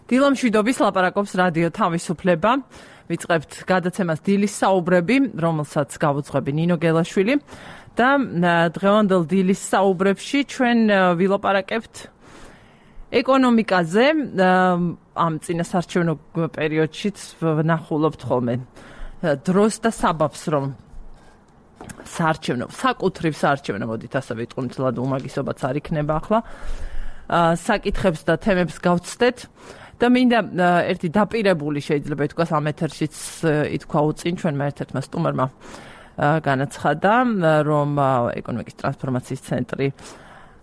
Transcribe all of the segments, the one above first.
დილამშვიდობის ლაპარაკობს რადიო თავისუფლება. ვიწყებთ გადაცემას დილის საუბრები, რომელსაც გავუძღვები ნინო გელაშვილი და დღევანდელ დილის საუბრებში ჩვენ ვილაპარაკებთ ეკონომიკაზე. ამ წინასარჩევნო პერიოდშიც ვნახულობთ ხოლმე დროს და საბაბს, რომ საკუთრივ საარჩევნო, მოდით ასე ვიტყვით, უმაგისობაც არ იქნება ახლა. საკითხებს და თემებს გავცდეთ და მინდა ერთი დაპირებული შეიძლება ითქვას ამ ეთერშიც ითქვა უწინ ჩვენმა ერთ-ერთმა სტუმარმა განაცხადა, რომ ეკონომიკის ტრანსფორმაციის ცენტრი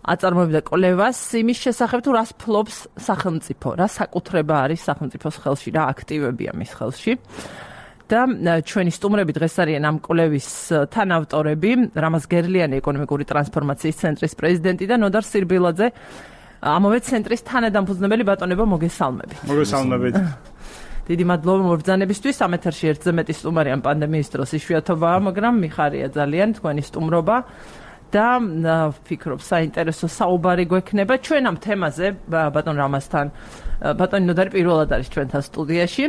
აწარმოებდა კვლევას იმის შესახებ, თუ რას ფლობს სახელმწიფო, რა საკუთრება არის სახელმწიფოს ხელში, რა აქტივებია მის ხელში. და ჩვენი სტუმრები დღეს არიან ამ კვლევის თანავტორები, რამაზ გერლიანი ეკონომიკური ტრანსფორმაციის ცენტრის პრეზიდენტი და ნოდარ სირბილაძე, ამავე ცენტრის თანადამფუძნებელი. ბატონებო, მოგესალმებით. მოგესალმებით. დიდი მადლობა მობრძანებისთვის. ამ ეთერში ერთზე მეტი სტუმარი ამ პანდემიის დროს იშვიათობაა, მაგრამ მიხარია ძალიან თქვენი სტუმრობა და ვფიქრობ საინტერესო საუბარი გვექნება ჩვენ ამ თემაზე. ბატონ რამაზთან, ბატონი ნოდარი პირველად არის ჩვენთან სტუდიაში.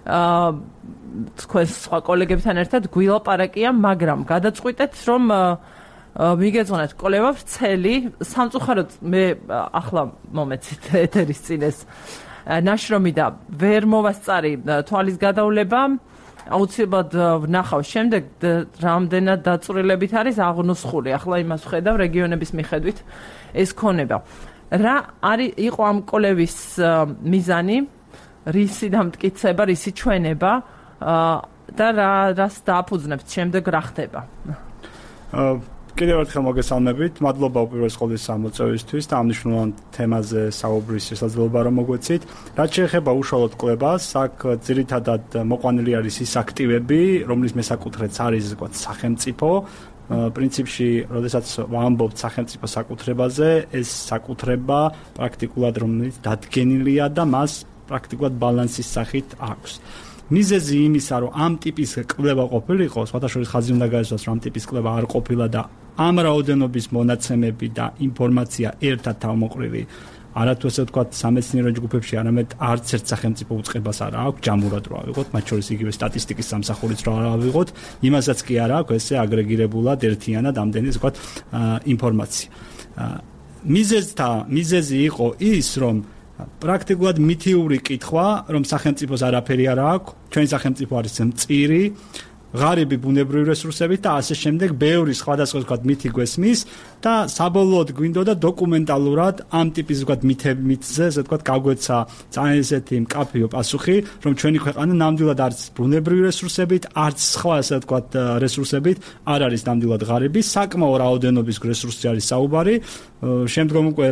თქვენ სხვა კოლეგებთან ერთად გვილაპარაკია, მაგრამ გადაწყვიტეთ, რომ მიგეძღვნათ კვლევა ვრცელი. სამწუხაროდ მე ახლა მომეცით ეთერის წინ ეს ნაშრომი და ვერ მოვასწარი თვალის გადავლება. აუცილებლად ვნახავ შემდეგ რამდენად დაწვრილებით არის აღნუსხული. ახლა იმას ვხედავ რეგიონების მიხედვით ეს ქონება. რა იყო ამ კვლევის მიზანი, რისი დამტკიცება, რისი ჩვენება და რას დააფუძნებთ შემდეგ რა ხდება? კიდევ ერთხელ მოგესალმებით. მადლობა უპირველეს ყოვლისა ამოწევისთვის და ამ მნიშვნელოვან თემაზე საუბრის შესაძლებლობა რომ მოგვეცით. რაც შეეხება უშუალოდ კვლევას, აქ ძირითადად მოყვანილი არის ის აქტივები, რომლის მესაკუთრეც არის სახელმწიფო. პრინციპში, როდესაც ვამბობთ სახელმწიფო საკუთრებაზე, ეს საკუთრება პრაქტიკულად რომელიც დადგენილია და მას პრაქტიკულად ბალანსის სახით აქვს. მიზეზი იმისა, რომ ამ ტიპის კვლევა ყოფილიყო, სხვათა შორის ხაზი უნდა გაესვას, რომ ამ ტიპის კვლევა არ ყოფილა და ამ რაოდენობის მონაცემები და ინფორმაცია ერთად თავმოყრილი არათუ ესე ვთქვათ სამეცნიერო ჯგუფებში, არამედ არც ერთ სახელმწიფო უწყებას არ აქვს ჯამურად რა ავიღოთ, მათ შორის იგივე სტატისტიკის სამსახურიც რა ავიღოთ, იმასაც კი არ აქვს ესე აგრეგირებულად ერთიანად ამდენი ესე ვთქვათ ინფორმაცია. მიზეზი იყო ის, რომ პრაქტიკულად მითიური კითხვა, რომ სახელმწიფოს არაფერი არ აქვს, ჩვენი სახელმწიფო არის მწირი, ღარიბი ბუნებრივი რესურსებით და ასე შემდეგ, ბევრი სხვადასხვა ვთქვათ მითი გვესმის და საბოლოოდ გვინდოდა დოკუმენტალურად ამ ტიპის ვთქვათ მითზე, ესე ვთქვათ, გაგვეცა ძალიან ესეთი მკაფიო პასუხი, რომ ჩვენი ქვეყანა ნამდვილად არც ბუნებრივი რესურსებით, არც სხვა ესე ვთქვათ რესურსებით არ არის ნამდვილად ღარიბი, საკმაო რაოდენობის რესურსი არის საუბარი. შემდგომ უკვე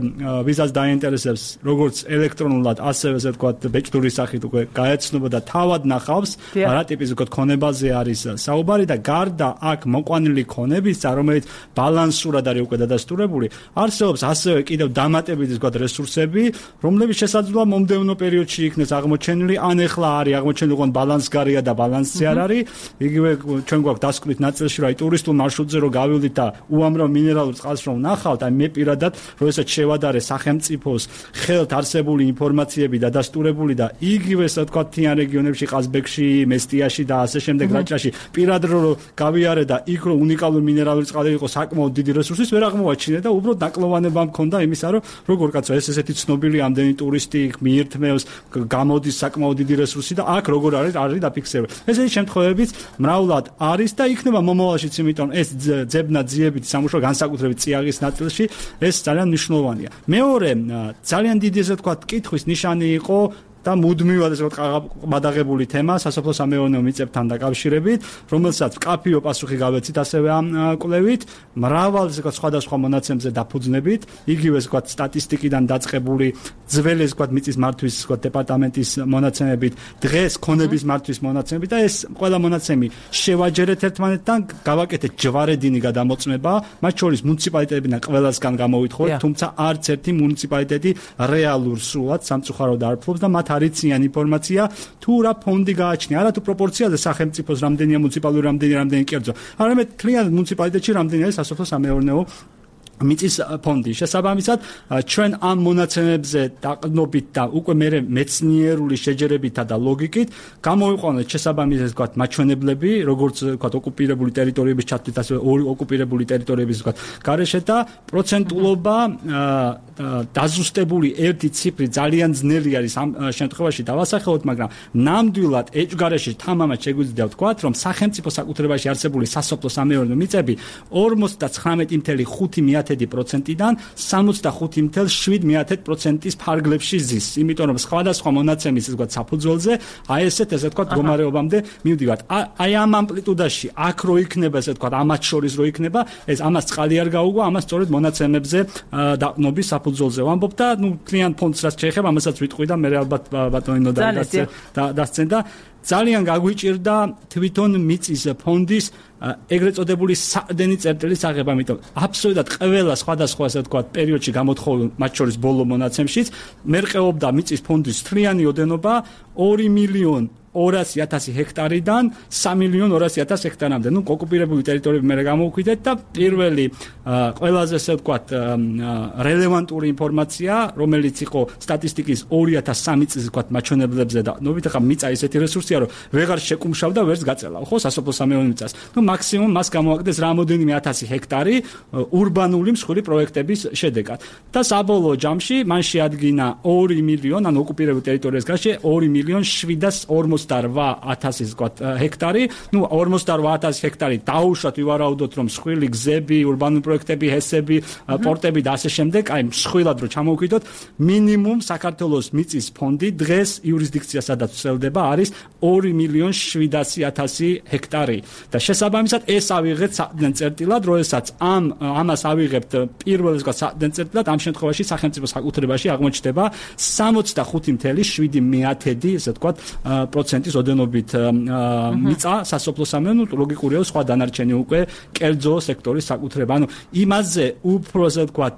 ვიზას დაინტერესებს როგორც ელექტრონულად, ასევე ესე ვთქვათ ბეჭდური სახით უკვე გაეცნობა და თავად ნახავს რა ტიპის ვთქვათ ქონებაზე არის საუბარი და გარდა აქ მოყვანილი ქონებისა, რომელიც ბალანსურად არის უკვე დადასტურებული, არსებობს ასევე კიდევ დამატებითი ვთქვათ რესურსები, რომლებიც შესაძლოა მომდევნო პერიოდში იქნეს აღმოჩენილი, ან ეხლა არის აღმოჩენილი, ოღონდ ბალანსგარია და ბალანსი არ არის. იგივე ჩვენ გვაქვს დასკვნით ნაწილში, რომ აი ტურისტულ მარშრუტზე რომ გავივლით და უამრავ მინერალურ წყალს რომ ნახავთ, აი მე პირადად როდესაც შევადარე სახელმწიფოს ხელთ არსებული ინფორმაციები დადასტურებული და იგივე ასე ვთქვათ თიან რეგიონებში, ყაზბეგში, მესტიაში და ასე შემდეგ რაჭაში პირადად რომ გავიარე და იქ რომ უნიკალური მინერალური წყალი იყო საკმაოდ დიდი რესურსის ვერ აღმოვაჩინე და უბრალოდ დაკლოვანება მქონდა იმისა, რომ როგორ კაცო ესეთი ცნობილი ამდენი ტურისტი მიირთმევს, გამოდის საკმაოდ დიდი რესურსი და აქ როგორ არის დაფიქსირებული. ესეთი შემთხვევებიც მრავლად არის და იქნება მომავალშიც, იმიტომ ეს ძებნა ძიებით სამუშაო განსაკუთრებით წიაღის ნაწილში ეს ძალიან მნიშვნელოვანია. მეორე ძალიან დიდი ესე ვთქვათ კითხვის ნიშანი იყო და მუდმივად ესე ვთქვათ გადაღებული თემა სასოფლო-სამეურნეო მიწებთან დაკავშირებით, რომელსაც მკაფიო პასუხი გავეცით ასევე ამ კვლევით, მრავალ ესე ვთქვათ სხვადასხვა მონაცემზე დაფუძნებით, იგივე ესე ვთქვათ სტატისტიკიდან დაწყებული ძველი ესე ვთქვათ მიწის მართვის ესე ვთქვათ დეპარტამენტის მონაცემებით, დღეს ქონების მართვის მონაცემებით და ეს ყველა მონაცემი შევაჯერეთ ერთმანეთთან, გავაკეთეთ ჯვარედინი გადამოწმება, მათ შორის მუნიციპალიტეტებიდან ყველასგან გამოვითხოვეთ, თუმცა არც ერთი მუნიციპალიტეტი რეალურ სრულად სამწუხაროდ არ ფლობს და მათ არიციან ინფორმაცია თუ რა ფონდი გააჩნია, არა თუ პროპორციაზე სახელმწიფოს რამდენია მუნიციპალური, რამდენი კერძო, არამედ თლიანად მუნიციპალიტეტში რამდენი არის სასოფლო-სამეურნეო მიწის ფონდი შესაბამისად ჩვენ ამ მონაცემებზე დაყრდნობით და უკვე მე მეცნიერული შეჯერებითა და ლოგიკით გამოვიყვანეთ შესაბამისად ვთქვათ მაჩვენებლები როგორც ვთქვათ ოკუპირებული ტერიტორიების ჩათვლით ასე ორი ოკუპირებული ტერიტორიების ვთქვათ გარეშე და პროცენტულობა დაზუსტებული ერთი ციფრი ძალიან ძნელი არის ამ შემთხვევაში დავასახელოთ მაგრამ ნამდვილად ეჭვგარეშე თამამად შეგვიძლია ვთქვათ რომ სახელმწიფო საკუთრებაში არსებული სასოფლო სამეურნეო მიწები 59.5%-დან 65.7%-ის ფარგლებში ზის. იმიტომ რომ სხვადასხვა მონაცემის ვთქვათ საფუძველზე აი ესეთ ვთქვათ მდგომარეობამდე მივდივართ. აი ამ ამპლიტუდაში აქ რო იქნება ესე ვთქვათ ამათ შორის რო იქნება ეს ამას წყალი არ გაუგვა, ამას სწორედ მონაცემებზე დაყრდნობის საფუძველზე ვამბობ და ნუ კლient ფონდს რაც შეეხება ამასაც ვიტყვი და მე ალბათ ბატონინო დასცენ და ძალიან გაგვიჭირდა თვითონ მიწის ფონდის ეგრეთ წოდებული საყრდენი წერტილის აღება, იმიტომ აბსოლუტურად ყველა სხვადასხვა ასე ვთქვათ პერიოდში გამოთხოვილ მათ შორის ბოლო მონაცემშიც მერყეობდა მიწის ფონდის თლიანი ოდენობა 2.200.000 ჰექტარიდან 3.200.000 ჰექტარამდე. ნუ ოკუპირებული ტერიტორიები მე გამოვკვიდეთ და პირველი ყველაზე ასე ვთქვათ რელევანტური ინფორმაცია, რომელიც იყო სტატისტიკის 2003 წლის ვთქვათ მაჩვენებლებზე და ნუ ვითახა მიწა ესეთი რესურსია, რომ ვეღარ შეკუმშავდა, ვერც გაწელა, ხო, სასოფლო სამეურნეო მიწას. ნუ მაქსიმუმ მას გამოაკდეს რამოდენიმე 1000 ჰექტარი ურბანული მსხვილი პროექტების შედეგად. და საბოლოო ჯამში მან შეადგინა 2 მილიონი, ანუ ოკუპირებულ ტერიტორიას გარშე 2.048.000 ვთქვათ ჰექტარი. ნუ 48.000 ჰექტარი დაუშვათ ვივარაუდოთ, რომ მსხვილი გზები, ურბანული პროექტები, ჰესები, პორტები და ასე შემდეგ, აი მსხვილად რო ჩამოვკვიდოთ, მინიმუმ საქართველოს მიწის ფონდი დღეს იურისდიქცია სადაც ვრცელდება არის 2.700.000 ჰექტარი. და შესაბამისად ეს ავიღეთ საყრდენ წერტილად, როდესაც ამას ავიღებთ პირველ ვთქვათ საყრდენ წერტილად, ამ შემთხვევაში სახელმწიფო საკუთრებაში აღმოჩნდება 65.7% ესე ვთქვათ პროცენტის ოდენობით მიწა სასოფლო სამეურნეო ლოგიკურია სხვა დანარჩენი უკვე კერძო სექტორის საკუთრება. ანუ იმაზე უფრო ასე ვთქვათ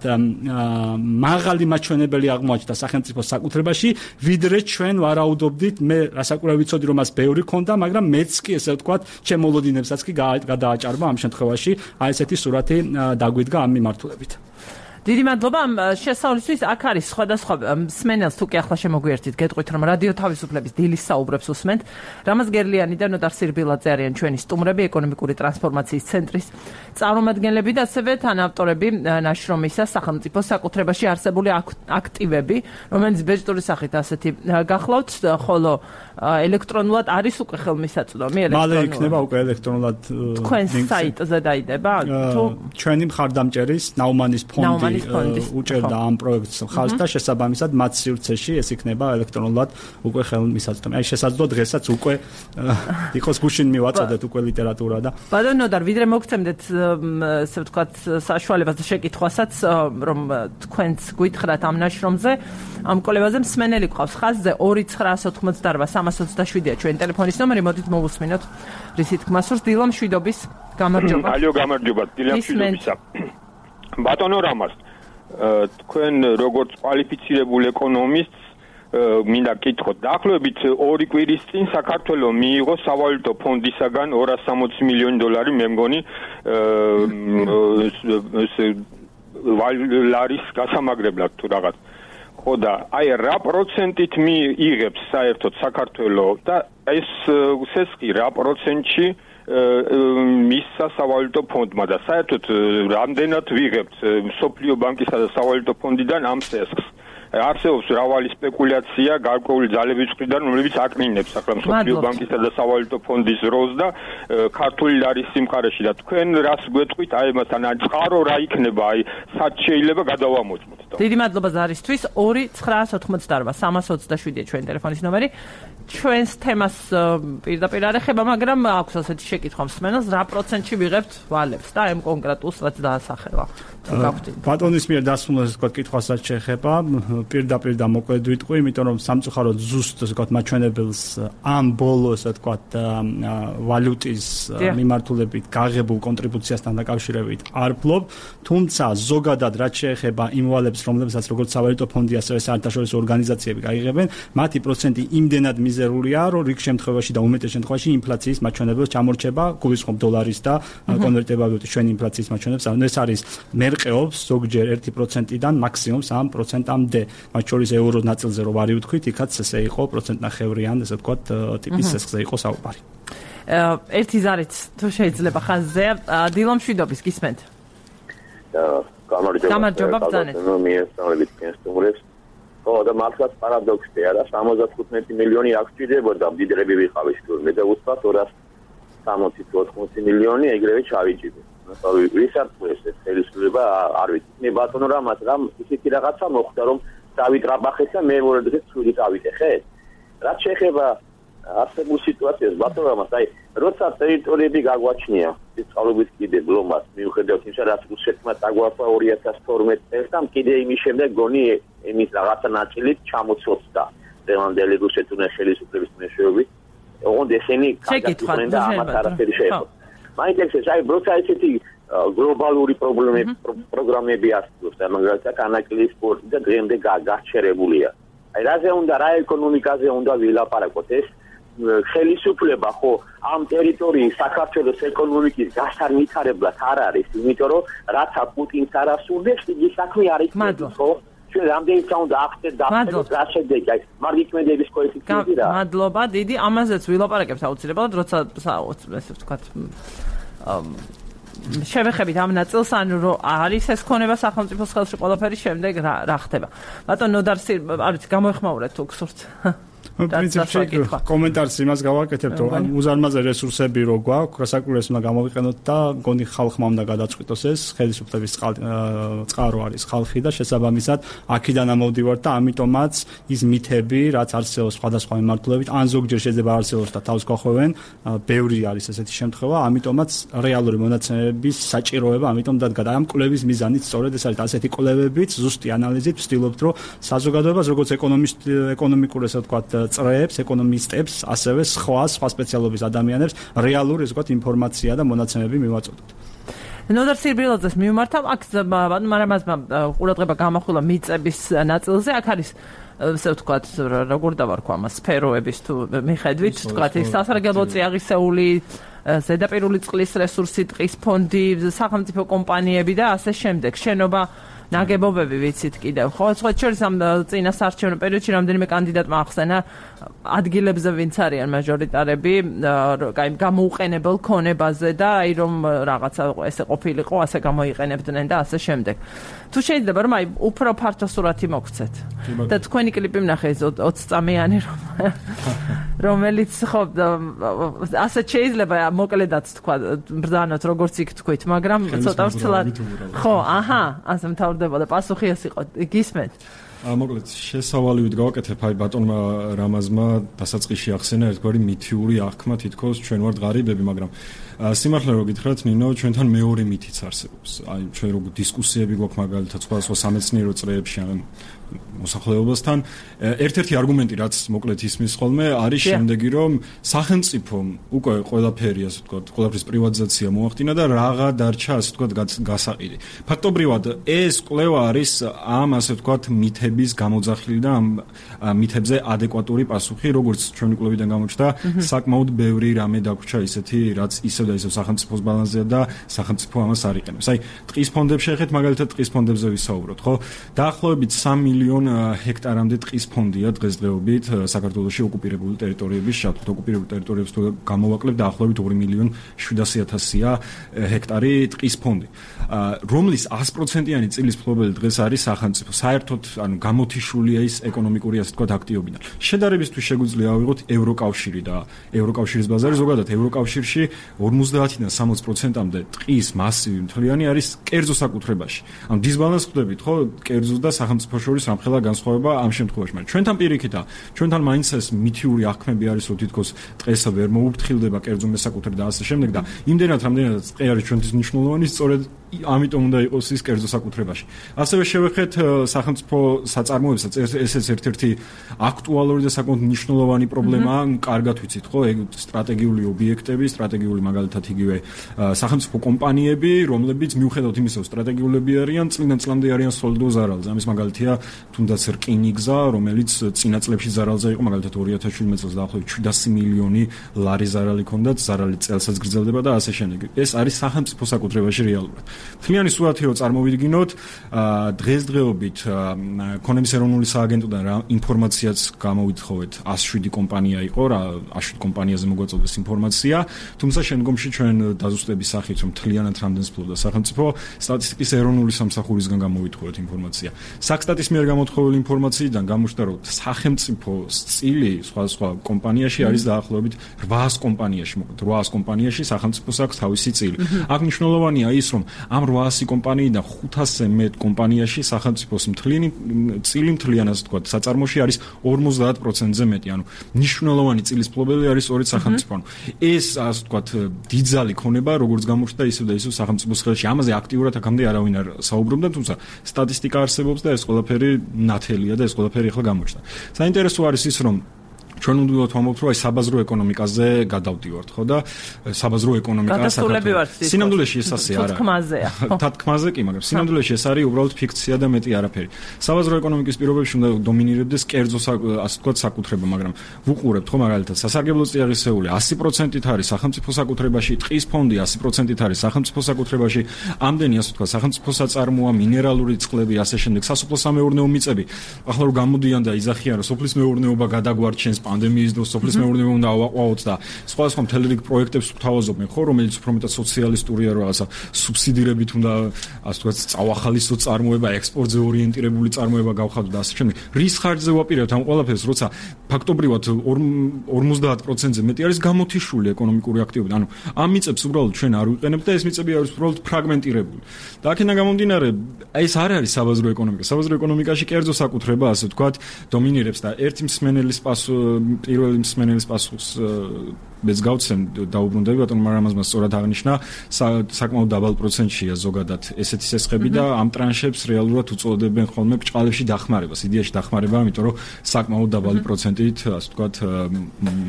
მაღალი მაჩვენებელი აღმოაჩნდა სახელმწიფო საკუთრებაში, ვიდრე ჩვენ ვარაუდობდით, მე რასაკურა ვიცოდი რომ მას ბევრი ქონდა, მაგრამ მეც კი ესე ვთქვათ ჩემოლოდინებსაც კი გადააჭარბა ამ შემთხვევაში აი ესეთი სურათი დაგვიდგა ამ მიმართულებით. დიდი მადლობა ამ შესწავლისთვის. აქ არის სხვადასხვა მსმენელს თუ კი ახლა შემოგვიერთით, გეტყვით რომ რადიო თავისუფლების დილის საუბრებს უსმენთ. რამაზ გერლიანი და ნოდარ სირბილაძე არიან ჩვენი სტუმრები, ეკონომიკური ტრანსფორმაციის ცენტრის წარმომადგენლები და ასევე თანავტორები ნაშრომისა სახელმწიფო საკუთრებაში არსებული აქტივები, რომელიც ბეჭდური სახით ასეთი გახლავთ, ხოლო ელექტრონულად არის უკვე ხელმისაწვდომი მალე იქნება უკვე ელექტრონულად თქვენ საიტზე დაიდება თუ ჩვენი მხარდამჭერის ნაუმანის ფონდი უჭერდა ამ პროექტს ხალხს და შესაბამისად მათ სივრცეში ეს იქნება ელექტრონულად უკვე ხელმისაწვდომი. აი შესაძლოა დღესაც უკვე იყოს გუშინ მივაწოდეთ უკვე ლიტერატურა და ბატონო და ვიდრე მოგცემდეთ ესე ვთქვათ საშუალებას და შეკითხვასაც რომ თქვენც გითხრათ ამ ნაშრომზე ამ კოლევაზე მსმენელი ყავს ხაზზე 2988327-ია ჩვენი ტელეფონის ნომერი. მოდით მოვუსმინოთ რისი თქმა სურს. დილა მშვიდობის, გამარჯობა. ალო, გამარჯობა, დილა მშვიდობისა. ბატონო რამაზ, თქვენ როგორც კვალიფიცირებული ეკონომისტს მინდა გკითხოთ, დაახლოებით 2 კვირის წინ საქართველოს მიიღო სავალუტო ფონდისაგან 260 მილიონი დოლარი, მე მგონი ლარის გასამაგრებლად თუ რაღაც. ხო და აი რა პროცენტით მიიღებს საერთოდ საქართველოს და ეს სესხი რა პროცენტში მისცა სავალუტო ფონდმა და საერთოდ რამდენად ვიღებთ მსოფლიო ბანკისა და სავალუტო ფონდიდან ამ სესხს. არსებობს მრავალი სპეკულაცია გარკვეული ძალების მხრიდან, რომლებიც აკნინებს ახლა მსოფლიო ბანკისა და სავალუტო ფონდის როლს და ქართული ლარის სიმყარეში და თქვენ რას გვეტყვით აი მასთან წყარო რა იქნება, აი სად შეიძლება გადავამოწმოთ. დიდი მადლობა ზარისთვის. 2988327-ია ჩვენი ტელეფონის ნომერი. ჩვენს თემას პირდაპირ არ ეხება, მაგრამ აქვს ასეთი შეკითხვა მსმენელს, რა პროცენტში ვიღებთ ვალებს და ამ კონკრეტულს რაც დაასახელა. ბატონის მიერ დასმულას ვთქვათ კითხვასაც შეეხება, პირდაპირ და მოკლედ ვიტყვი, იმიტომ რომ სამწუხაროდ ზუსტ ვთქვათ მაჩვენებელს ამ ბოლოს ვთქვათ ვალუტის მიმართულებით გაღებულ კონტრიბუციასთან დაკავშირებით არ ვფლობ, თუმცა ზოგადად რაც შეეხება იმ ვალებს, რომლებსაც როგორც სავალუტო ფონდი, ასევე საერთაშორისო ორგანიზაციები გაიღებენ, მათი პროცენტი იმდენად მიზერულია, რომ რიგ შემთხვევაში და უმეტეს შემთხვევაში ინფლაციის მაჩვენებელს ჩამორჩება, გულისხმობ დოლარის და კონვერტირებული ვალუტის ჩვენი ინფლაციის მაჩვენებელს. ეს არის მე მერყეობს ზოგჯერ 1%-დან მაქსიმუმ 3%-მდე. მათ შორის ევროს ნაწილზე რო ვარი ვთქვით, იქაც ესე იყო პროცენტნახევრიან, ესე ვთქვათ, ტიპის სესხზე იყო საუბარი. ერთი ზარით თუ შეიძლება ხაზზე, დილო მშვიდობის გისმენთ. გამარჯობა ბრძანეთ. მიესწავლებით კენსტუმრებს. ხო, და მართლაც პარადოქსია რა, 75 მილიონი აქ ჭირდებოდა, მდიდრები ვიყავით თუ მე და უცბად 260-80 მილიონი ეგრევე ჩავიჭირე. ვისარწმუნოს ეს ხელისუფლება არ ვიცი. მე ბატონო რამ ისეთი რაღაცა მოხდა რომ დავიტრაბახეთ და მე მორედეთ ცუდი დავიტეხეთ. რაც შეეხება არსებულ სიტუაციას ბატონო აი როცა ტერიტორიები გაგვაჩნია წყალობით კიდე ბლომას მიუხედავად იმისა რაც რუსეთმა დაგვაფა 2012 წელს და კიდე იმის შემდეგ გონი იმის რაღაცა ნაწილით ჩამოცოცხლდა დევანდელი რუსეთის ხელისუფლების მეშვეობით ოღონდ ესენი კაგაკეთებენ და ამათ არაფერი შეეხო მაინტერესებს აი როცა ესეთი გლობალური პროგრამები არსებობს და მაგალითად ანაკლის სპორტი და დღემდე გაჩერებულია აი რაზე უნდა რა ეკონომიკაზე უნდა ვილაპარაკოთ ეს ხელისუფლება ხო ამ ტერიტორიის საქართველოს ეკონომიკის გასარნითარებლად არ არის, იმიტომ რომ რაც პუტინს არ ასურდეს, იგი საქმე არ იქნება, ხო? ჩვენ რამდენი ცა უნდა ახდეთ და რა შედეგი აი მარგიტმედების კოეფიციენტი რა. მადლობა, დიდი ამაზეც ვილაპარაკებთ აუცილებლად, როცა ესე ვთქვათ შევეხებით ამ ნაწილს, ანუ რომ არის ეს ქონება სახელმწიფოს ხელში ყველაფერი შემდეგ რა ხდება. ბატონ ნოდარსი, არ ვიცი, გამოეხმაურეთ თუ გსურთ. პრინციპში კომენტარს იმას გავაკეთებ, რომ უზარმაზე რესურსები რო გვაქვს, გასაკვირველს უნდა გამოვიყენოთ და გონი ხალხმა უნდა გადაწყვიტოს ეს, ხელისუფლების წყარო არის ხალხი და შესაბამისად აქედან ამოვდივართ და ამიტომაც ის მითები, რაც არსებობს სხვადასხვა მიმართულებით, ან ზოგჯერ შეიძლება არსებობს და თავს გახვევენ, ბევრი არის ესეთი შემთხვევა, ამიტომაც რეალური მონაცემების საჭიროება ამიტომ დადგა და ამ კვლევის მიზანიც სწორედ ეს არის, ასეთი კვლევებით, ზუსტი ანალიზით ვცდილობთ, რომ საზოგადოებას როგორც ეკონომიკურ ესე ვთქვათ წრეებს, ეკონომისტებს, ასევე სხვა სპეციალობის ადამიანებს რეალური ესე ვთქვათ ინფორმაცია და მონაცემები მივაწოდოთ. ნოდარ სირბილაძეს მიმართავ, აქ მაგრამ ყურადღება გამახვილა მიწების ნაწილზე, აქ არის ესე ვთქვათ, როგორ დავარქვა ამას, სფეროების თუ მიხედვით, ვთქვათ, ეს სასარგებლო წიაღისეული ზედაპირული წყლის რესურსი, ტყის ფონდი, სახელმწიფო კომპანიები და ასე შემდეგ. შენობა ნაგებობები ვიცით კიდევ, ხო? სხვა შორის ამ წინა საარჩევნო პერიოდში რამდენიმე კანდიდატმა ახსენა ადგილებზე ვინც არიან მაჟორიტარები, აი გამოუყენებელ ქონებაზე და აი რომ რაღაცა ესე ყოფილიყო, ასე გამოიყენებდნენ და ასე შემდეგ. თუ შეიძლება რომ აი უფრო ფართო სურათი მოგცეთ. და თქვენი კლიპი ვნახე 20 წამიანი რომელიც ხო ასე შეიძლება მოკლედაც თქვა ბრძანოთ როგორც იქ თქვით, მაგრამ ცოტა ვცლად ხო, აჰა, ასე მთავრდებოდა პასუხი ეს იყო. გისმენთ? მოკლედ შესავალივით გავაკეთებ აი ბატონმა რამაზმა დასაწყისში ახსენა ერთგვარი მითიური აღქმა თითქოს ჩვენ ვართ ღარიბები, მაგრამ სიმართლე რო გითხრათ ნინო, ჩვენთან მეორე მითიც არსებობს. აი ჩვენ რო დისკუსიები გვაქვს მაგალითად სხვადასხვა სამეცნიერო წრეებში ან მოსახლეობასთან, ერთ-ერთი არგუმენტი რაც მოკლედ ისმის ხოლმე არის შემდეგი, რომ სახელმწიფომ უკვე ყველაფერი ასე ვთქვათ, ყველაფრის პრივატიზაცია მოახდინა და რაღა დარჩა ასე ვთქვათ გასაყიდი. ფაქტობრივად ეს კვლევა არის ამ ასე ვთქვათ მითების გამოძახილი და ამ მითებზე ადეკვატური პასუხი, როგორც ჩვენი კვლევიდან გამოჩნდა, საკმაოდ ბევრი რამე დაგვრჩა ისეთი, რაც ისევ და ისევ სახელმწიფოს ბალანსზეა და სახელმწიფო ამას არ იყენებს. აი, ტყის ფონდებს შეხეთ, მაგალითად ტყის ფონდებზე ვისაუბროთ, ხო? დაახლოებით 3 მილიონ ჰექტარამდე ტყის ფონდია დღესდღეობით საქართველოში ოკუპირებული ტერიტორიების შეფუთ ოკუპირებულ ტერიტორიებს თუ გამოვაკლებთ დაახლოებით 2 მილიონ 700.000-ია ჰექტარი ტყის ფონდი, რომლის 100%-იანი წილის მფლობელი დღეს არის სახელმწიფო. საერთოდ ანუ გამოთიშულია ის ეკონომიკური ასე ვთქვათ აქტივობიდან. შედარებისთვის შეგვიძლია ავიღოთ ევროკავშირი და ევროკავშირის ბაზარი ზოგადად ევროკავშირში 50-დან 60%-მდე ტყის მასივი მთლიანი არის კერძო საკუთრებაში. ანუ დისბალანსს ხვდებით, ხო, კერძო და სახელმწიფო შორის რამხელა განსხვავება ამ შემთხვევაში. მაგრამ ჩვენთან პირიქითა, ჩვენთან მაინც ეს მითიური აღქმები არის, რომ თითქოს ტყესა ვერ მოუფრთხილდება კერძო მესაკუთრე და ასე შემდეგ და იმდენად რამდენადაც ტყე არის ჩვენთვის მნიშვნელოვანი, სწორედ ამიტომ უნდა იყოს ის კერძო საკუთრებაში. ასევე შევეხეთ სახელმწიფო საწარმოებსაც, ესეც ერთ-ერთი აქტუალური და საკმაოდ მნიშვნელოვანი პრობლემაა, კარგად ვიცით, ხო, სტრატეგიული ობიექტები, სტრატეგიული მაგალითად იგივე სახელმწიფო კომპანიები, რომლებიც მიუხედავად იმისა, რომ სტრატეგიულები არიან, წლიდან წლამდე არიან სოლიდო ზარალზე. ამის მაგალითია თუნდაც რკინიგზა, რომელიც წინა წლებში ზარალზე იყო, მაგალითად 2017 წელს დაახლოებით 700 მილიონი ლარი ზარალი ჰქონდათ, ზარალი წელსაც გრძელდება და ასე შემდეგ. ეს არის სახელმწიფო საკუთრებაში რეალურად. მთლიანი სურათი რო წარმოვიდგინოთ, დღესდღეობით ქონების ეროვნული სააგენტოდან რა ინფორმაციაც გამოვითხოვეთ, 107 კომპანია იყო, რა 107 კომპანიაზე მოგვაწოდეს ინფორმაცია, თუმცა შემდგომში ჩვენ დაზუსტების სახით რომ მთლიანად რამდენს ფლობდა სახელმწიფო სტატისტიკის ეროვნული სამსახურისგან გამოვითხოვეთ ინფორმაცია. საქსტატის მიერ გამოთხოვილი ინფორმაციიდან გამოჩნდა, რომ სახელმწიფოს წილი სხვა კომპანიაში არის დაახლოებით 800 კომპანიაში, მოკლედ 800 კომპანიაში სახელმწიფოს აქვს თავისი წილი. აქ მნიშვნელოვანია ის, რომ ამ 800 კომპანიიდან 500-ზე მეტ კომპანიაში სახელმწიფოს წილი მთლიანად ასე ვთქვათ, საწარმოში არის 50%-ზე მეტი, ანუ მნიშვნელოვანი წილის მფლობელი არის სწორედ სახელმწიფო. ეს ასე ვთქვათ, დიდძალი ქონება, როგორც გამოჩნდა ისევ და ისევ სახელმწიფოს ხელში. ამაზე აქტიურად აქამდე არავინ არ საუბრობდა, თუმცა სტატისტიკა არსებობს და ეს ყველაფერი ნათელია და ეს ყველაფერი ახლა გამოჩნდა. საინტერესო არის ის, რომ ჩვენ უნდა ვთვალოთ, რომ აი საბაზრო ეკონომიკაზე გადავდივართ, ხო და საბაზრო ეკონომიკა სინამდვილეში ეს ასე არა. თათქმაზე კი, მაგრამ სინამდვილეში ეს არის უბრალოდ ფიქცია და მეტი არაფერი. საბაზრო ეკონომიკის პირობებში უნდა დომინირებდეს კერძო ასე ვთქვათ საკუთრება, მაგრამ ვუყურებთ ხო მაგალითად სასარგებლო წიაღისეული 100%-ით არის სახელმწიფო საკუთრებაში, ტყის ფონდი 100%-ით არის სახელმწიფო საკუთრებაში, ამდენი ასე ვთქვათ სახელმწიფო საწარმოა, მინერალური წყლები, ასე შემდეგ, სასოფლო-სამეურნეო მიწები. ახლა რომ გამოდიან და იძახიან, რომ სოფლის მეურნეობა გადაგვარჩენს პანდემიის დროს სოფლის მეურნეობა უნდა ავაყავოთ და სხვა მთელი რიგი პროექტებს გვთავაზობენ ხო, რომელიც უფრო მეტად სოციალისტურია, რაღაცა სუბსიდირებით უნდა ასე ვთქვათ წავახალისო წარმოება, ექსპორტზე ორიენტირებული წარმოება გავხადოთ და ასე შემდეგ. რის ხარჯზე ვაპირებთ ამ ყველაფერს, როცა ფაქტობრივად 50%-ზე მეტი არის გამოთიშული ეკონომიკური აქტივობა. ანუ ამ მიწებს უბრალოდ ჩვენ არ ვიყენებთ და ეს მიწები არის უბრალოდ ფრაგმენტირებული. და აქედან გამომდინარე, ეს არ არის საბაზრო ეკონომიკა. საბაზრო ეკონომიკაში კერძო საკუთრება, ასე ვთქვათ, დომინირებს და ერთი მსმენელის პირველი მსმენელის პასუხს მეც გავცემ დაუბრუნდები, ბატონო მარამაზმა სწორად აღნიშნა, საკმაოდ დაბალ პროცენტშია ზოგადად ესეთი სესხები და ამ ტრანშებს რეალურად უწოდებენ ხოლმე ბჭყალებში დახმარებას, იდეაში დახმარება, იმიტომ რომ საკმაოდ დაბალი პროცენტით, ასე ვთქვათ,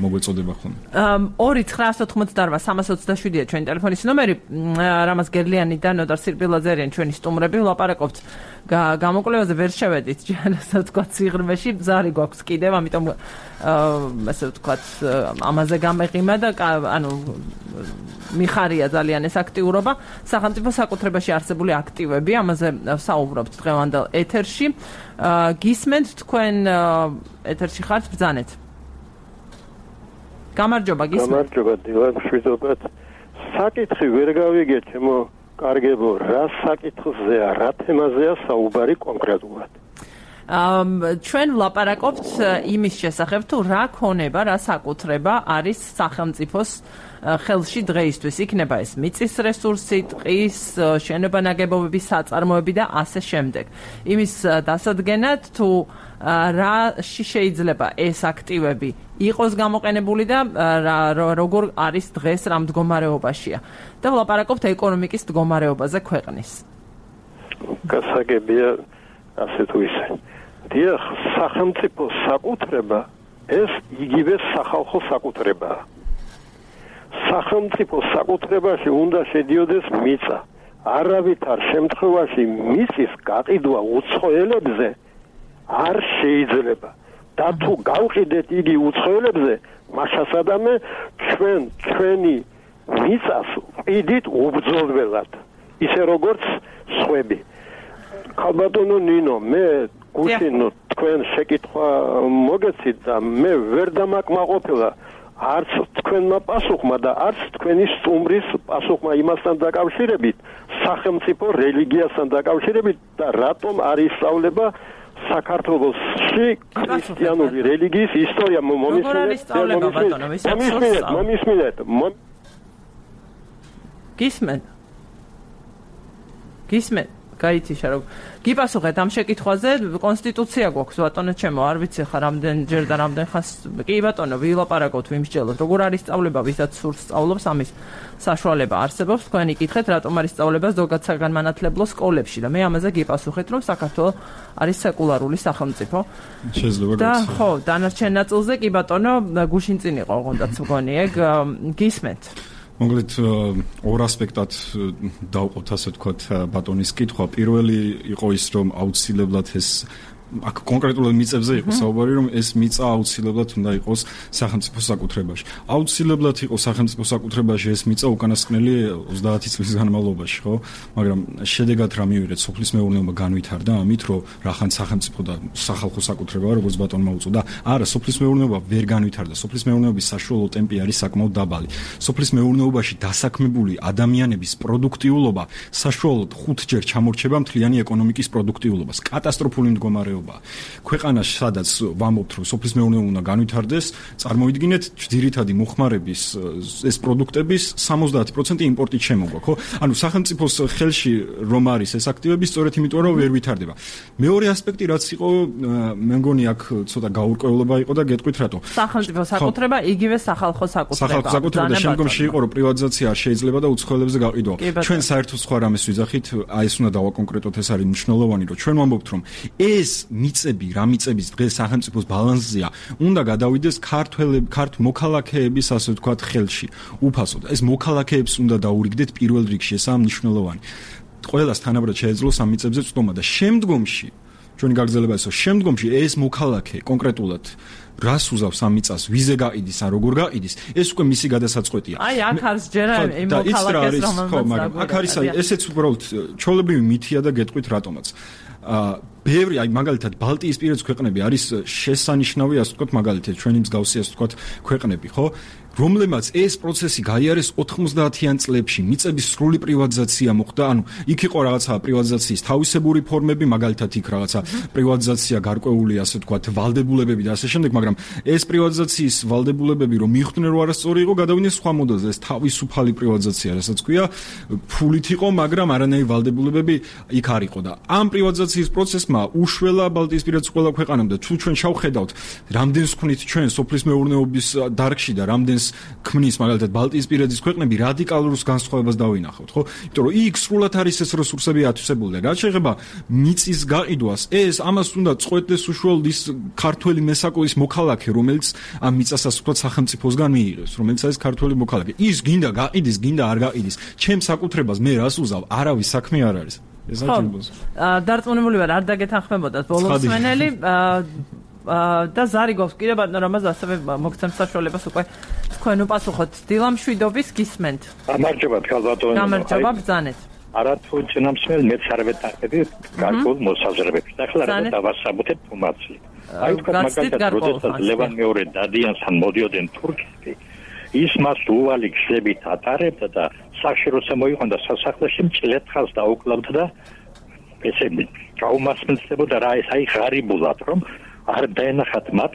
მოგვეწოდება ხოლმე. 2-988-327-ია ჩვენი ტელეფონის ნომერი, რამაზ გერლიანი და ნოდარ სირბილაძე ჩვენი სტუმრები, ვლაპარაკობთ გამოკვლევაზე ვერ შევედით ასე ვთქვათ სიღრმეში, ზარი გვაქვს კიდევ, ამიტომ ასე ვთქვათ ამაზე გამეღიმა და ანუ მიხარია ძალიან ეს აქტიურობა. სახელმწიფო საკუთრებაში არსებული აქტივები, ამაზე საუბრობთ დღევანდელ ეთერში. გისმენთ თქვენ ეთერში ხართ, ბრძანეთ. გამარჯობა, გისმენთ. გამარჯობა, დილან, მშვიდობად. საკითხი ვერ გავიგე, ჩემო კარგებო, რა საკითხზეა, რა თემაზეა საუბარი კონკრეტულად? ჩვენ ვლაპარაკობთ იმის შესახებ, თუ რა ქონება, რა საკუთრება არის სახელმწიფოს ხელში დღეისთვის. იქნება ეს მიწის რესურსი, ტყის, შენობა-ნაგებობები, საწარმოები და ასე შემდეგ. იმის დასადგენად, თუ რაში შეიძლება ეს აქტივები იყოს გამოყენებული და როგორ არის დღეს რა მდგომარეობაშია. და ვლაპარაკობთ ეკონომიკის მდგომარეობაზე ქვეყნის. გასაგებია ასე თუ ისე. დიახ, სახელმწიფო საკუთრება ეს იგივე სახალხო საკუთრებაა. სახელმწიფო საკუთრებაში უნდა შედიოდეს მიწა. არავითარ შემთხვევაში მიწის გაყიდვა უცხოელებზე არ შეიძლება. და თუ გავყიდეთ იგი უცხოელებზე, მაშასადამე ჩვენი მიწას ყიდით უბრძოლველად, ისე როგორც სხვები. ხალბატონო ნინო, მე გუშინო თქვენ შეკითხვა მოგეცით და მე ვერ დამაკმაყოფილა არც თქვენმა პასუხმა და არც თქვენი სტუმრის პასუხმა იმასთან დაკავშირებით, სახელმწიფო რელიგიასთან დაკავშირებით და რატომ არ ისწავლება საქართველოში ქრისტიანული რელიგიის ისტორია. მომისმინეთ. გისმენ, გაიციშა რომ გიპასუხეთ ამ შეკითხვაზე, კონსტიტუცია გვაქვს ბატონო ჩემო, არ ვიცი ხა რამდენჯერ და რამდენ ხანს. კი ბატონო, ვილაპარაკოთ, ვიმსჯელოთ, როგორ არის სწავლება, ვისაც სურს სწავლობს, ამის საშუალება არსებობს. თქვენი კითხეთ, რატომ არის სწავლება ზოგად საგანმანათლებლო სკოლებში და მე ამაზე გიპასუხეთ, რომ საქართველოს არის სეკულარული სახელმწიფო. შეიძლება და ხო, დანარჩენ ნაწილზე კი ბატონო, გუშინ წინ იყო ოღონდაც მგონი ეგ გისმენთ. მოგლით ორ ასპექტად დავყოთ ასე ვთქვათ ბატონის კითხვა. პირველი იყო ის, რომ აუცილებლად ეს აქ კონკრეტულად მიწებზე იყო საუბარი, რომ ეს მიწა აუცილებლად უნდა იყოს სახელმწიფოს საკუთრებაში. აუცილებლად იყო სახელმწიფოს საკუთრებაში ეს მიწა უკანასკნელი 30 წლის განმავლობაში, ხო? მაგრამ შედეგად რა მივიღეთ, სოფლის მეურნეობა განვითარდა ამით, რომ რახან სახელმწიფო და სახალხო საკუთრებაა, როგორც ბატონმა უწოდა. არა, სოფლის მეურნეობა ვერ განვითარდა. სოფლის მეურნეობის საშუალო ტემპი არის საკმაოდ დაბალი. სოფლის მეურნეობაში დასაქმებული ადამიანების პროდუქტიულობა საშუალოდ 5-ჯერ ჩამორჩება მთლიანი ეკონომიკის პროდუქტიულობას. კატასტროფული მდგომარეობაა. ქვეყანაში, სადაც ვამბობთ, რომ სოფლის მეურნეობა უნდა განვითარდეს, წარმოიდგინეთ, ძირითადი მოხმარების ეს პროდუქტების 70% იმპორტით შემოგვა, ხო? ანუ სახელმწიფოს ხელში რომ არის ეს აქტივები, სწორედ იმიტომ რომ ვერ ვითარდება. მეორე ასპექტი რაც იყო, მე მგონი აქ ცოტა გაურკვევლობა იყო და გეტყვით რატო. სახელმწიფო საკუთრება, იგივე სახალხო საკუთრება. სახალხო საკუთრება და შემდგომში იყო რომ პრივატიზაცია არ შეიძლება და უცხოელებზე გაყიდვა. ჩვენ საერთოდ სხვა რამეს ვიძახით, აი ეს უნდა დავაკონკრეტოთ, ეს არის მნიშვნელოვანი, რომ ჩვენ ვამბობთ, რომ ეს მიწები, რა მიწების დღეს სახელმწიფოს ბალანსზეა, უნდა გადავიდეს ქართ მოქალაქეების, ასე ვთქვათ, ხელში. უფასოდ. ეს მოქალაქეებს უნდა დაურიგდეთ პირველ რიგში, ესაა მნიშვნელოვანი. ყველას თანაბრად შეეძლოს ამ მიწებზე წვდომა და შემდგომში ჩვენი გაგრძელება ისო, შემდგომში ეს მოქალაქე კონკრეტულად რას უზავს ამ მიწას, ვიზე გაყიდის ან როგორ გაყიდის, ეს უკვე მისი გადასაწყვეტია. აი, აქ არის ჯერ იმ მოქალაქეს, მაგრამ აქ არის აი ესეც უბრალოდ ჩვეულებრივი მითია და გეტყვით რატომაც. ბევრი აი მაგალითად ბალტიისპირეთის ქვეყნები არის შესანიშნავი, ასე ვთქვათ, მაგალითად ჩვენი მსგავსი, ასე ვთქვათ, ქვეყნები, ხო? რომლებმაც ეს პროცესი გაიარეს 90-იან წლებში, მიწების სრული პრივატიზაცია მოხდა, ანუ იქ იყო რაღაცა პრივატიზაციის თავისებური ფორმები, მაგალითად იქ რაღაცა პრივატიზაცია გარკვეული, ასე ვთქვათ, ვალდებულებები და ასე შემდეგ, მაგრამ ეს პრივატიზაციის ვალდებულებები რომ მიხვდნენ რომ არასწორი იყო, გადავიდნენ სხვა მოდელზე, ეს თავისუფალი პრივატიზაცია, რასაც ქვია, ფულით იყო, მაგრამ არანაირი ვალდებულებები იქ არ იყო და ამ პრივატიზაციის პროცესმა უშველა ბალტიისპირეთის ყველა ქვეყანამ და თუ ჩვენ შევხედავთ, რამდენს ქმნით ჩვენ სოფლის მეურნეობის დარგში და რამდენს ქმნის მაგალითად ბალტიისპირეთის ქვეყნები რადიკალურს განსხვავებას დავინახავთ, ხო? იმიტომ რომ იქ სრულად არის ეს რესურსები ათვისებული და რაც შეეხება მიწის გაყიდვას, ეს ამას უნდა წყვეტდეს უშუალოდ ის ქართველი მესაკოის მოქალაქე, რომელიც ამ მიწას ასე ვთქვათ სახელმწიფოსგან მიიღებს, რომელიც არის ქართველი მოქალაქე. ის გინდა გაყიდის, გინდა არ გაყიდის, ჩემს საკუთრებას მე რას უზავ, არავის საქმე არ არის. ეს აჩვენებს. დარწმუნებული ვარ, არ დაგეთანხმებოდათ ბოლოს მენელი და ზარი გვაქვს კიდე ბატონო რამაზ ასევე მოგცემ საშუალებას უკვე თქვენ უპასუხოთ დილამშვიდობის გისმენთ. გამარჯობა ბატონო. გამარჯობა ბრძანეთ. არათუ წინამსმენელ მეც არ ვეტყები გარკვეულ მოსაზრებებს. და ახლა რა დავასაბუთებ თუმაცლი. აი თქვა მაგალითად როდესაც ლევან მეორე დადიანსთან მოდიოდნენ თურქეთში, ის მას უვალი გზებით ატარებდა და სახში როცა მოიყვანდა სასახლეში მჭლეთხას დაუკლავდა და ესე გაუმასმენდებოდა რა ეს აი ღარიბულად რომ არ დაენახათ მათ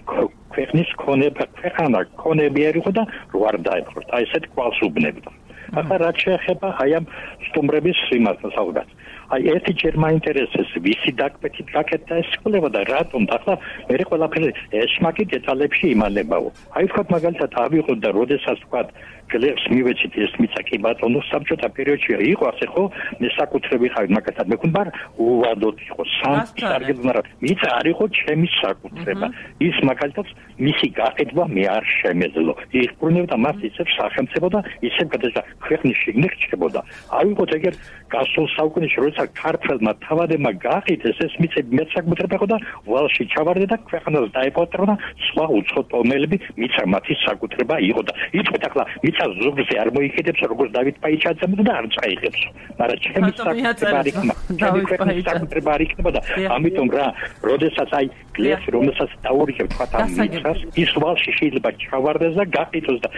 ქვეყნის ქვეყანა ქონებიერი ხო და რო არ დაეპყროთ. აი ესეთ კვალს უბნებდა. ახლა რაც შეეხება აი ამ სტუმრების იმასთან საუბარს. აი ერთი ჯერ მაინტერესებს ვისი დაკპეთით გაკეთდა ეს სკოლა და რატომ და ახლა მე ყველაფერი ეშმაკი დეტალებში იმალებაო. აი ვთქვათ მაგალითად ავიღოთ და როდესაც ვთქვათ გლეხს მივეცით ეს მიწა კი ბატონო საბჭოთა პერიოდში იყო ასე ხო მე საკუთრები ხარ მაგათად მეკუნდა უვადოთ იყო სამწარგებლ მაგრამ მიწა არ იყო ჩემი საკუთრება ის მაგალითად მისი გაყიდვა მე არ შემეძლო იხბრუნებდა მას ისევ სახელმწიფო და ისევ გადაჭა ქვეყნის შიგნით რჩებოდა ავიღოთ ეგერ გასულ საუკუნეში როცა ქართველმა თავადებმა გაყიდეს ეს მიწები მე საკუთრება იყო და ვალში ჩავარდა და ქვეყანას დაეპოტრა და სხვა უცხო ტომელები მიწა მათი საკუთრება იყო და იწვეთ ახლა ზოგზე არ მოიქედებს როგორც დავით პაიჩაძემ და არ წაიღებს მაგრამ ჩემი საკუთრება არ იქნება ჩემი ქვეყნის საკუთრება არ იქნება და ამიტომ რა როდესაც აი გლეხი რომელსაც დაურიგებ თქვა ამ მიწას ის ვალში შეიძლება ჩავარდეს და გაყიდოს და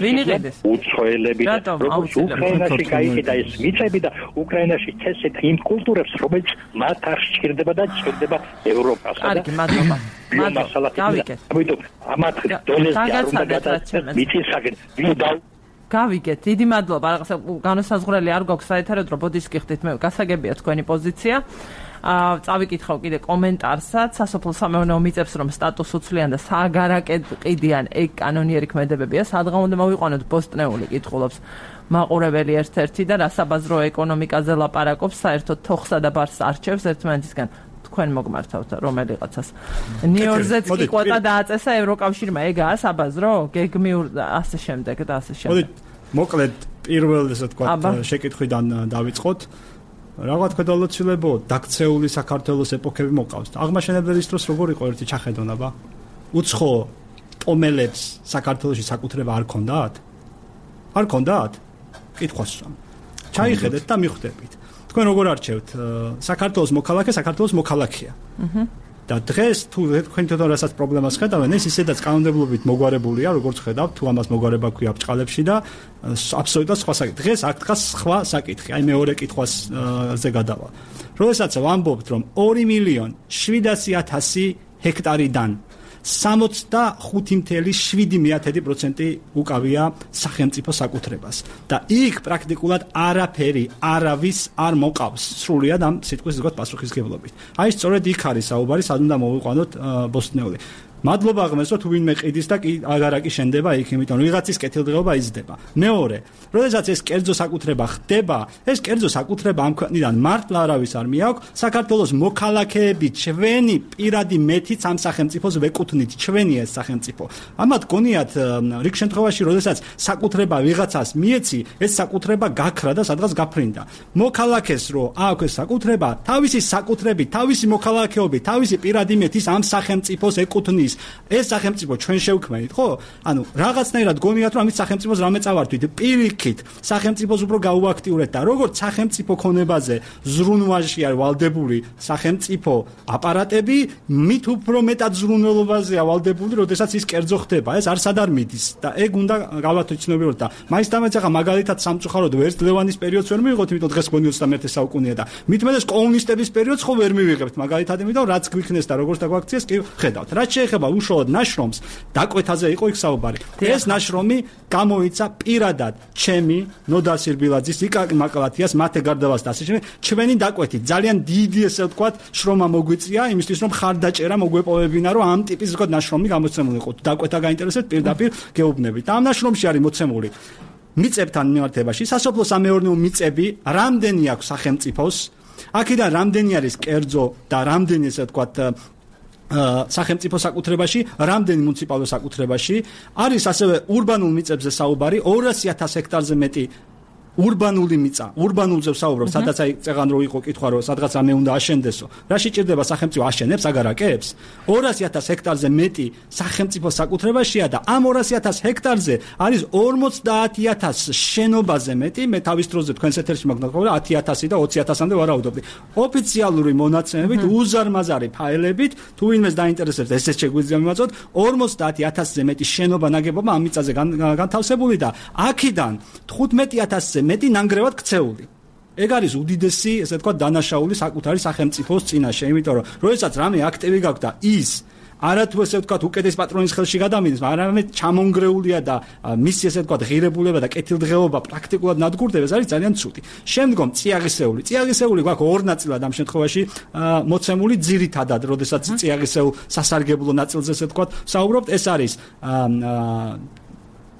ვინ იღებს უცხოელები როგორც უკრაინაში გაიყიდა ეს მიწები და უკრაინაში წესეთ იმ კულტურებს რომელიც მათ არ სჭირდება და სჭირდება ევროპასა და კარგი მადლობა გავიგეთ ამიტომ ამათ დონეზე არ უნდა გადაწყდეს მიწის გავიგეთ დიდი მადლობა რაღაცა განსაზღვრელი არ გვაქვს საერთოდ რომ ბოდიშს გიხდით მე გასაგებია თქვენი პოზიცია წავიკითხავ კიდე კომენტარსაც სასოფლო სამეურნეო მიწებს რომ სტატუსს უცვლიან და სააგარაკეთ ყიდიან ეგ კანონიერი ქმედებებია სადღა უნდა მოვიყვანოთ ბოსტნეული კითხულობს მაყურებელი ერთ-ერთი და რასაბაზრო ეკონომიკაზე ლაპარაკობს საერთოდ თოხსა და ბარს არჩევს ერთმანეთისგან თქვენ მოგმართავთ რომელიღაცას ნიუ-იორკზეც კი კვოტა დააწესა ევროკავშირმა ეგაა საბაზრო გეგმიურ ასე შემდეგ და ასე შემდეგ მოკლედ პირველ ესე თქვა შეკითხვიდან დავიწყოთ Რაღაც ქვედალოცილებო დაქცეული საქართველოს ეპოქები მოყავს. აღმაშენებლის დროს როგორ იყო ერთი ჩახედონება? უცხო პომელებს საქართველოში საკუთრება არ ქონდათ? არ ქონდათ? კითხვას ვსვამ. ჩაიხედეთ და მიხვდებით. თქვენ როგორ არჩევთ საქართველოს მოქალაქე, საქართველოს მოქალაქეა. და დღეს თუ თქვენ თვითონ რასაც პრობლემას ხედავენ, ეს ისედაც კანონმდებლობით მოგვარებულია, როგორც ხედავთ, თუ ამას მოგვარება ქვია ბჭყალებში და აბსოლუტურად სხვა საკითხი. დღეს აქ დგას სხვა საკითხი. აი მეორე კითხვაზე გადავალ. როდესაც ვამბობთ, რომ 2.700.000 ჰექტარიდან 65.7% უკავია სახელმწიფო საკუთრებას და იქ პრაქტიკულად არაფერი არავის არ მოყავს სრულიად ამ სიტყვის ზოგად პასუხისგებლობით. აი სწორედ იქ არის საუბარი, სად უნდა მოვიყვანოთ ბოსტნეული. მადლობა ღმერთს, თუ ვინმე ყიდის და აგარაკი შენდება იქ, იმიტომ რომ ვიღაცის კეთილდღეობა იზრდება. მეორე, როდესაც ეს კერძო საკუთრება ხდება, ეს კერძო საკუთრება ამ ქვეყნიდან მართლა არავის არ მიაქვს, საქართველოს მოქალაქეები ჩვენი პირადი მეტიც ამ სახელმწიფოს ვეკუთვნით, ჩვენი ეს სახელმწიფო. ამათ გონიათ რიგ შემთხვევაში, როდესაც საკუთრება ვიღაცას მიეცი, ეს საკუთრება გაქრა და სადღაც გაფრინდა. მოქალაქეს რო აქვს ეს საკუთრება, თავისი საკუთრებით, თავისი მოქალაქეობით, თავისი პირადი მეტის ამ სახელმწიფოს ეკუთვნის. ეს სახელმწიფო ჩვენ შევქმნით, ხო? ანუ რაღაცნაირად გონიათ, რომ ამის სახელმწიფოს რამე წავართვით, პირიქით, სახელმწიფოს უფრო გაუაქტიურეთ და როგორც სახელმწიფო ქონებაზე ზრუნვაში არის ვალდებული სახელმწიფო აპარატები, მით უფრო მეტად ზრუნველობაზეა ვალდებული, როდესაც ის კერძო ხდება, ეს არსად არ მიდის და ეგ უნდა გავათვიცნობიეროთ და მაინც ახლა მაგალითად სამწუხაროდ ვერც ლევანის პერიოდს ვერ მივიღოთ, იმიტომ დღეს გონი 21 საუკუნეა და მitmedes კომუნისტების პერიოდს ხო ვერ მივიღებთ მაგალითად, იმიტომ რაც გვიქნეს და როგორც დაგვაქციეს კი ხედავთ. რაც შეეხება უშუალოდ ნაშრომს, დაკვეთაზე იყო იქ საუბარი. ეს ნაშრომი გამოიცა პირადად ჩემი ნოდა სირბილაძის, იკაკ მაკალათიას, მათე გარდავას და ასე შემდეგ. ჩვენი დაკვეთით ძალიან დიდი ესე ვთქვათ, შრომა მოგვიწია იმისთვის, რომ ხარდაჭერა მოგვეპოვებინა, რომ ამ ტიპის ვთქვათ ნაშრომი გამოცემული იყო. დაკვეთა გაინტერესებთ, პირდაპირ გეუბნებით. და ამ ნაშრომში არის მოცემული მიწებთან მიმართებაში, სასოფლო-სამეურნეო მიწები, რამდენი აქვს სახელმწიფოს, აქედან რამდენი არის კერძო და რამდენი ესე ვთქვათ სახელმწიფო საკუთრებაში, რამდენი მუნიციპალურ საკუთრებაში, არის ასევე ურბანულ მიწებზე საუბარი, 200.000 ჰექტარზე მეტი ურბანული მიწა, ურბანულზე ვსაუბრობ, სადაც აი წეგან რო იყო კითხვა, რომ სადღაც ამე უნდა აშენდესო. რა შეჭირდება სახელმწიფო აშენებს, აგარაკებს? 200.000 ჰექტარზე მეტი სახელმწიფო საკუთრებაშია და ამ 200.000 ჰექტარზე არის 50.000 შენობაზე მეტი, მე თავის დროზე თქვენს ეთერში მაგნატყობი 10.000 და 20.000-მდე ვარაუდობდი. ოფიციალური მონაცემებით, უზარმაზარი ფაილებით, თუ ვინმეს დაინტერესებს, ესეც შეგვიძლია მივაწოდოთ, 50.000-ზე მეტი შენობა ნაგებობა ამ მიწაზე განთავსებული და აქედან 15.000-ზე მეტი ნანგრევად ქცეული. ეგ არის უდიდესი, ესე ვთქვათ, დანაშაული საკუთარი სახელმწიფოს წინაშე, იმიტომ რომ როდესაც რამე აქტივი გაქვს და ის არათუ ესე ვთქვათ უკეთეს პატრონის ხელში გადამინდეს, არამედ ჩამონგრეულია და მისი ესე ვთქვათ ღირებულება და კეთილდღეობა პრაქტიკულად ნადგურდება, ეს არის ძალიან ცუდი. შემდგომ წიაღისეული. წიაღისეული გვაქვს ორ ნაწილად ამ შემთხვევაში მოცემული ძირითადად, როდესაც წიაღისეულ სასარგებლო ნაწილზე ესე ვთქვათ საუბრობთ, ეს არის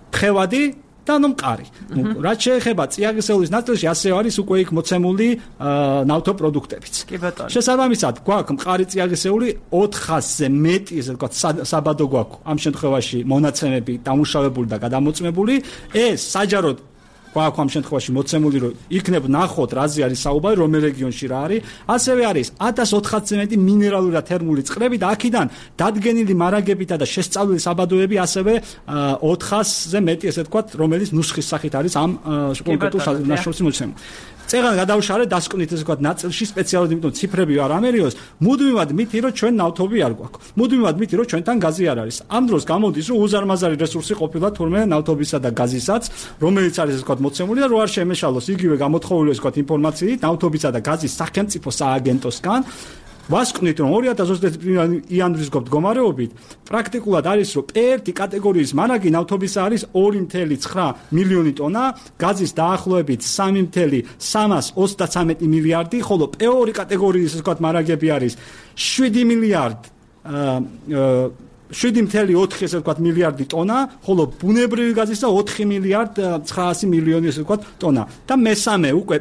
ხევადი და მყარი. რაც შეეხება წიაღისეულის ნაწილში, ასევე არის უკვე იქ მოცემული ნავთობპროდუქტებიც. კი ბატონო. შესაბამისად, გვაქვს მყარი წიაღისეული 400-ზე მეტი, ესე ვთქვათ, საბადო გვაქვს ამ შემთხვევაში მონაცემები დამუშავებული და გადამოწმებული. ეს საჯაროდ გვაქვს ამ შემთხვევაში მოცემული, რომ იქნებ ნახოთ, რაზე არის საუბარი, რომელ რეგიონში რა არის. ასევე არის 1400-ზე მეტი მინერალური და თერმული წყლები და აქედან დადგენილი მარაგებითა და შესწავლილი საბადოები ასევე 400-ზე მეტი, ესე ვთქვათ, რომელიც ნუსხის სახით არის ამ კონკრეტულ ნაშრომში მოცემული. წეგან გადავშალე დასკვნით ესე ვთქვათ ნაწილში სპეციალურად, იმიტომ ციფრები არ ამერიოს, მუდმივად მითი რომ ჩვენ ნავთობი არ გვაქვს. მუდმივად მითი რომ ჩვენთან გაზი არ არის. ამ დროს გამოდის რომ უზარმაზარი რესურსი ყოფილა თურმე ნავთობისა და გაზისაც, რომელიც არის ესე ვთქვათ მოცემული და რო არ შემეშალოს იგივე გამოთხოვილი ესე ვთქვათ ინფორმაციით ნავთობისა და გაზის სახელმწიფო სააგენტოსგან. ვასკვნით რომ 2021 იანვრის მდგომარეობით პრაქტიკულად არის რომ P1 კატეგორიის მარაგი ნავთობისა არის 2.9 მილიონი ტონა, გაზის დაახლოებით 3.323 მილიარდი, ხოლო P2 კატეგორიის ასე ვთქვათ მარაგები არის 7 მილიარდ 7.4 ესე ვთქვათ მილიარდი ტონა, ხოლო ბუნებრივი გაზის და 4 მილიარდ 900 მილიონი ესე ვთქვათ ტონა. და მესამე უკვე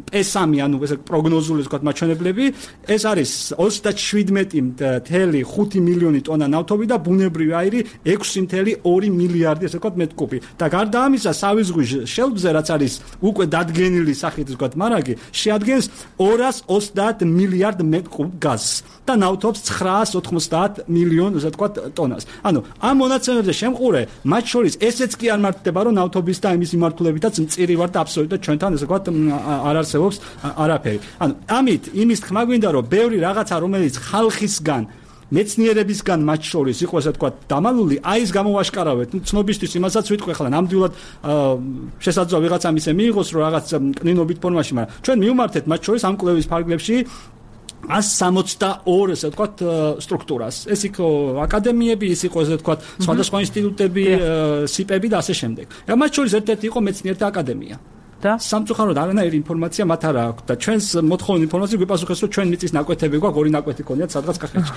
P3 ანუ ესე პროგნოზული ესე ვთქვათ მაჩვენებლები, ეს არის 37.5 მილიონი ტონა ნავთობი და ბუნებრივი აირი 6.2 მილიარდი ესე ვთქვათ მეტკუბი. და გარდა ამისა, სავი ზღვის შელფზე რაც არის უკვე დადგენილი სახით ესე ვთქვათ მარაგი, შეადგენს 230 მილიარდ მეტკუბ გაზს და ნავთობს 990 მილიონ ასე ვთქვათ ტონას. ანუ ამ მონაცემებზე შემყურე, მათ შორის ესეც კი არ მართდება, რომ ნავთობის და იმის მიმართულებითაც მწირი ვარ და აბსოლუტურად ჩვენთან ასე ვთქვათ არ არსებობს არაფერი. ანუ ამით იმის თქმა გვინდა, რომ ბევრი რაღაცა, რომელიც ხალხისგან მეცნიერებისგან მათ შორის იყო ასე ვთქვათ დამალული, აი ეს გამოვაშკარავეთ. ცნობისთვის იმასაც ვიტყვი ახლა ნამდვილად შესაძლოა ვიღაცამ ისე მიიღოს, რომ რაღაც კნინობით ფორმაში, მაგრამ ჩვენ მივმართეთ მათ შორის ამ კვლევის ფარგლებში 162 ესე ვთქვათ სტრუქტურას. ეს იყო აკადემიები, ის იყო ესე ვთქვათ სხვადასხვა ინსტიტუტები, სიპები და ასე შემდეგ. მათ შორის ერთ-ერთი იყო მეცნიერთა აკადემია. და სამწუხაროდ არანაირი ინფორმაცია მათ არ აქვს და ჩვენს მოთხოვნ ინფორმაციას გვიპასუხეს, რომ ჩვენ მიწის ნაკვეთები გვაქვს, ორი ნაკვეთი გქონიათ სადღაც კახეთში.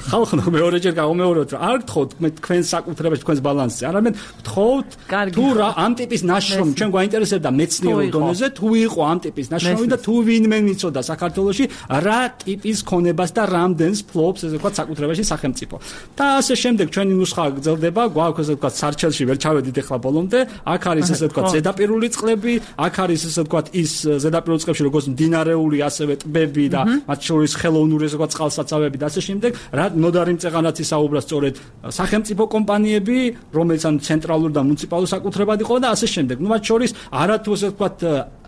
ხალხო მეორეჯერ გავუმეოროთ, რომ არ გთხოვთ თქვენს საკუთრებაში, თქვენს ბალანსზე, არამედ გთხოვთ თუ რა ამ ტიპის ნაშრომი ჩვენ გვაინტერესებდა მეცნიერულ დონეზე, თუ იყო ამ ტიპის ნაშრომი და თუ ვინმე მიცოდა საქართველოში რა ტიპის ქონებას და რამდენს ფლობს ესე ვთქვათ საკუთრებაში სახელმწიფო. და ასე შემდეგ ჩვენი ნუსხა გრძელდება, გვაქვს ესე ვთქვათ სარჩელში ვერ ჩავედით ახლა ბოლომდე, აქ არის ესე ვთქვათ ზედაპირული წყლები, აქ არის ესე ვთქვათ ის ზედაპირულ წყლებში როგორც მდინარეული, ასევე ტბები და მათ შორის ხელოვნური ესე ვთქვათ წყალსაცავები და ასე შემდეგ, რა ნოდარი მწეღანაც ისაუბრა სწორედ სახელმწიფო კომპანიები, რომელიც ან ცენტრალურ და მუნიციპალურ საკუთრებად იყო და ასე შემდეგ. მათ შორის არათუ ესე ვთქვათ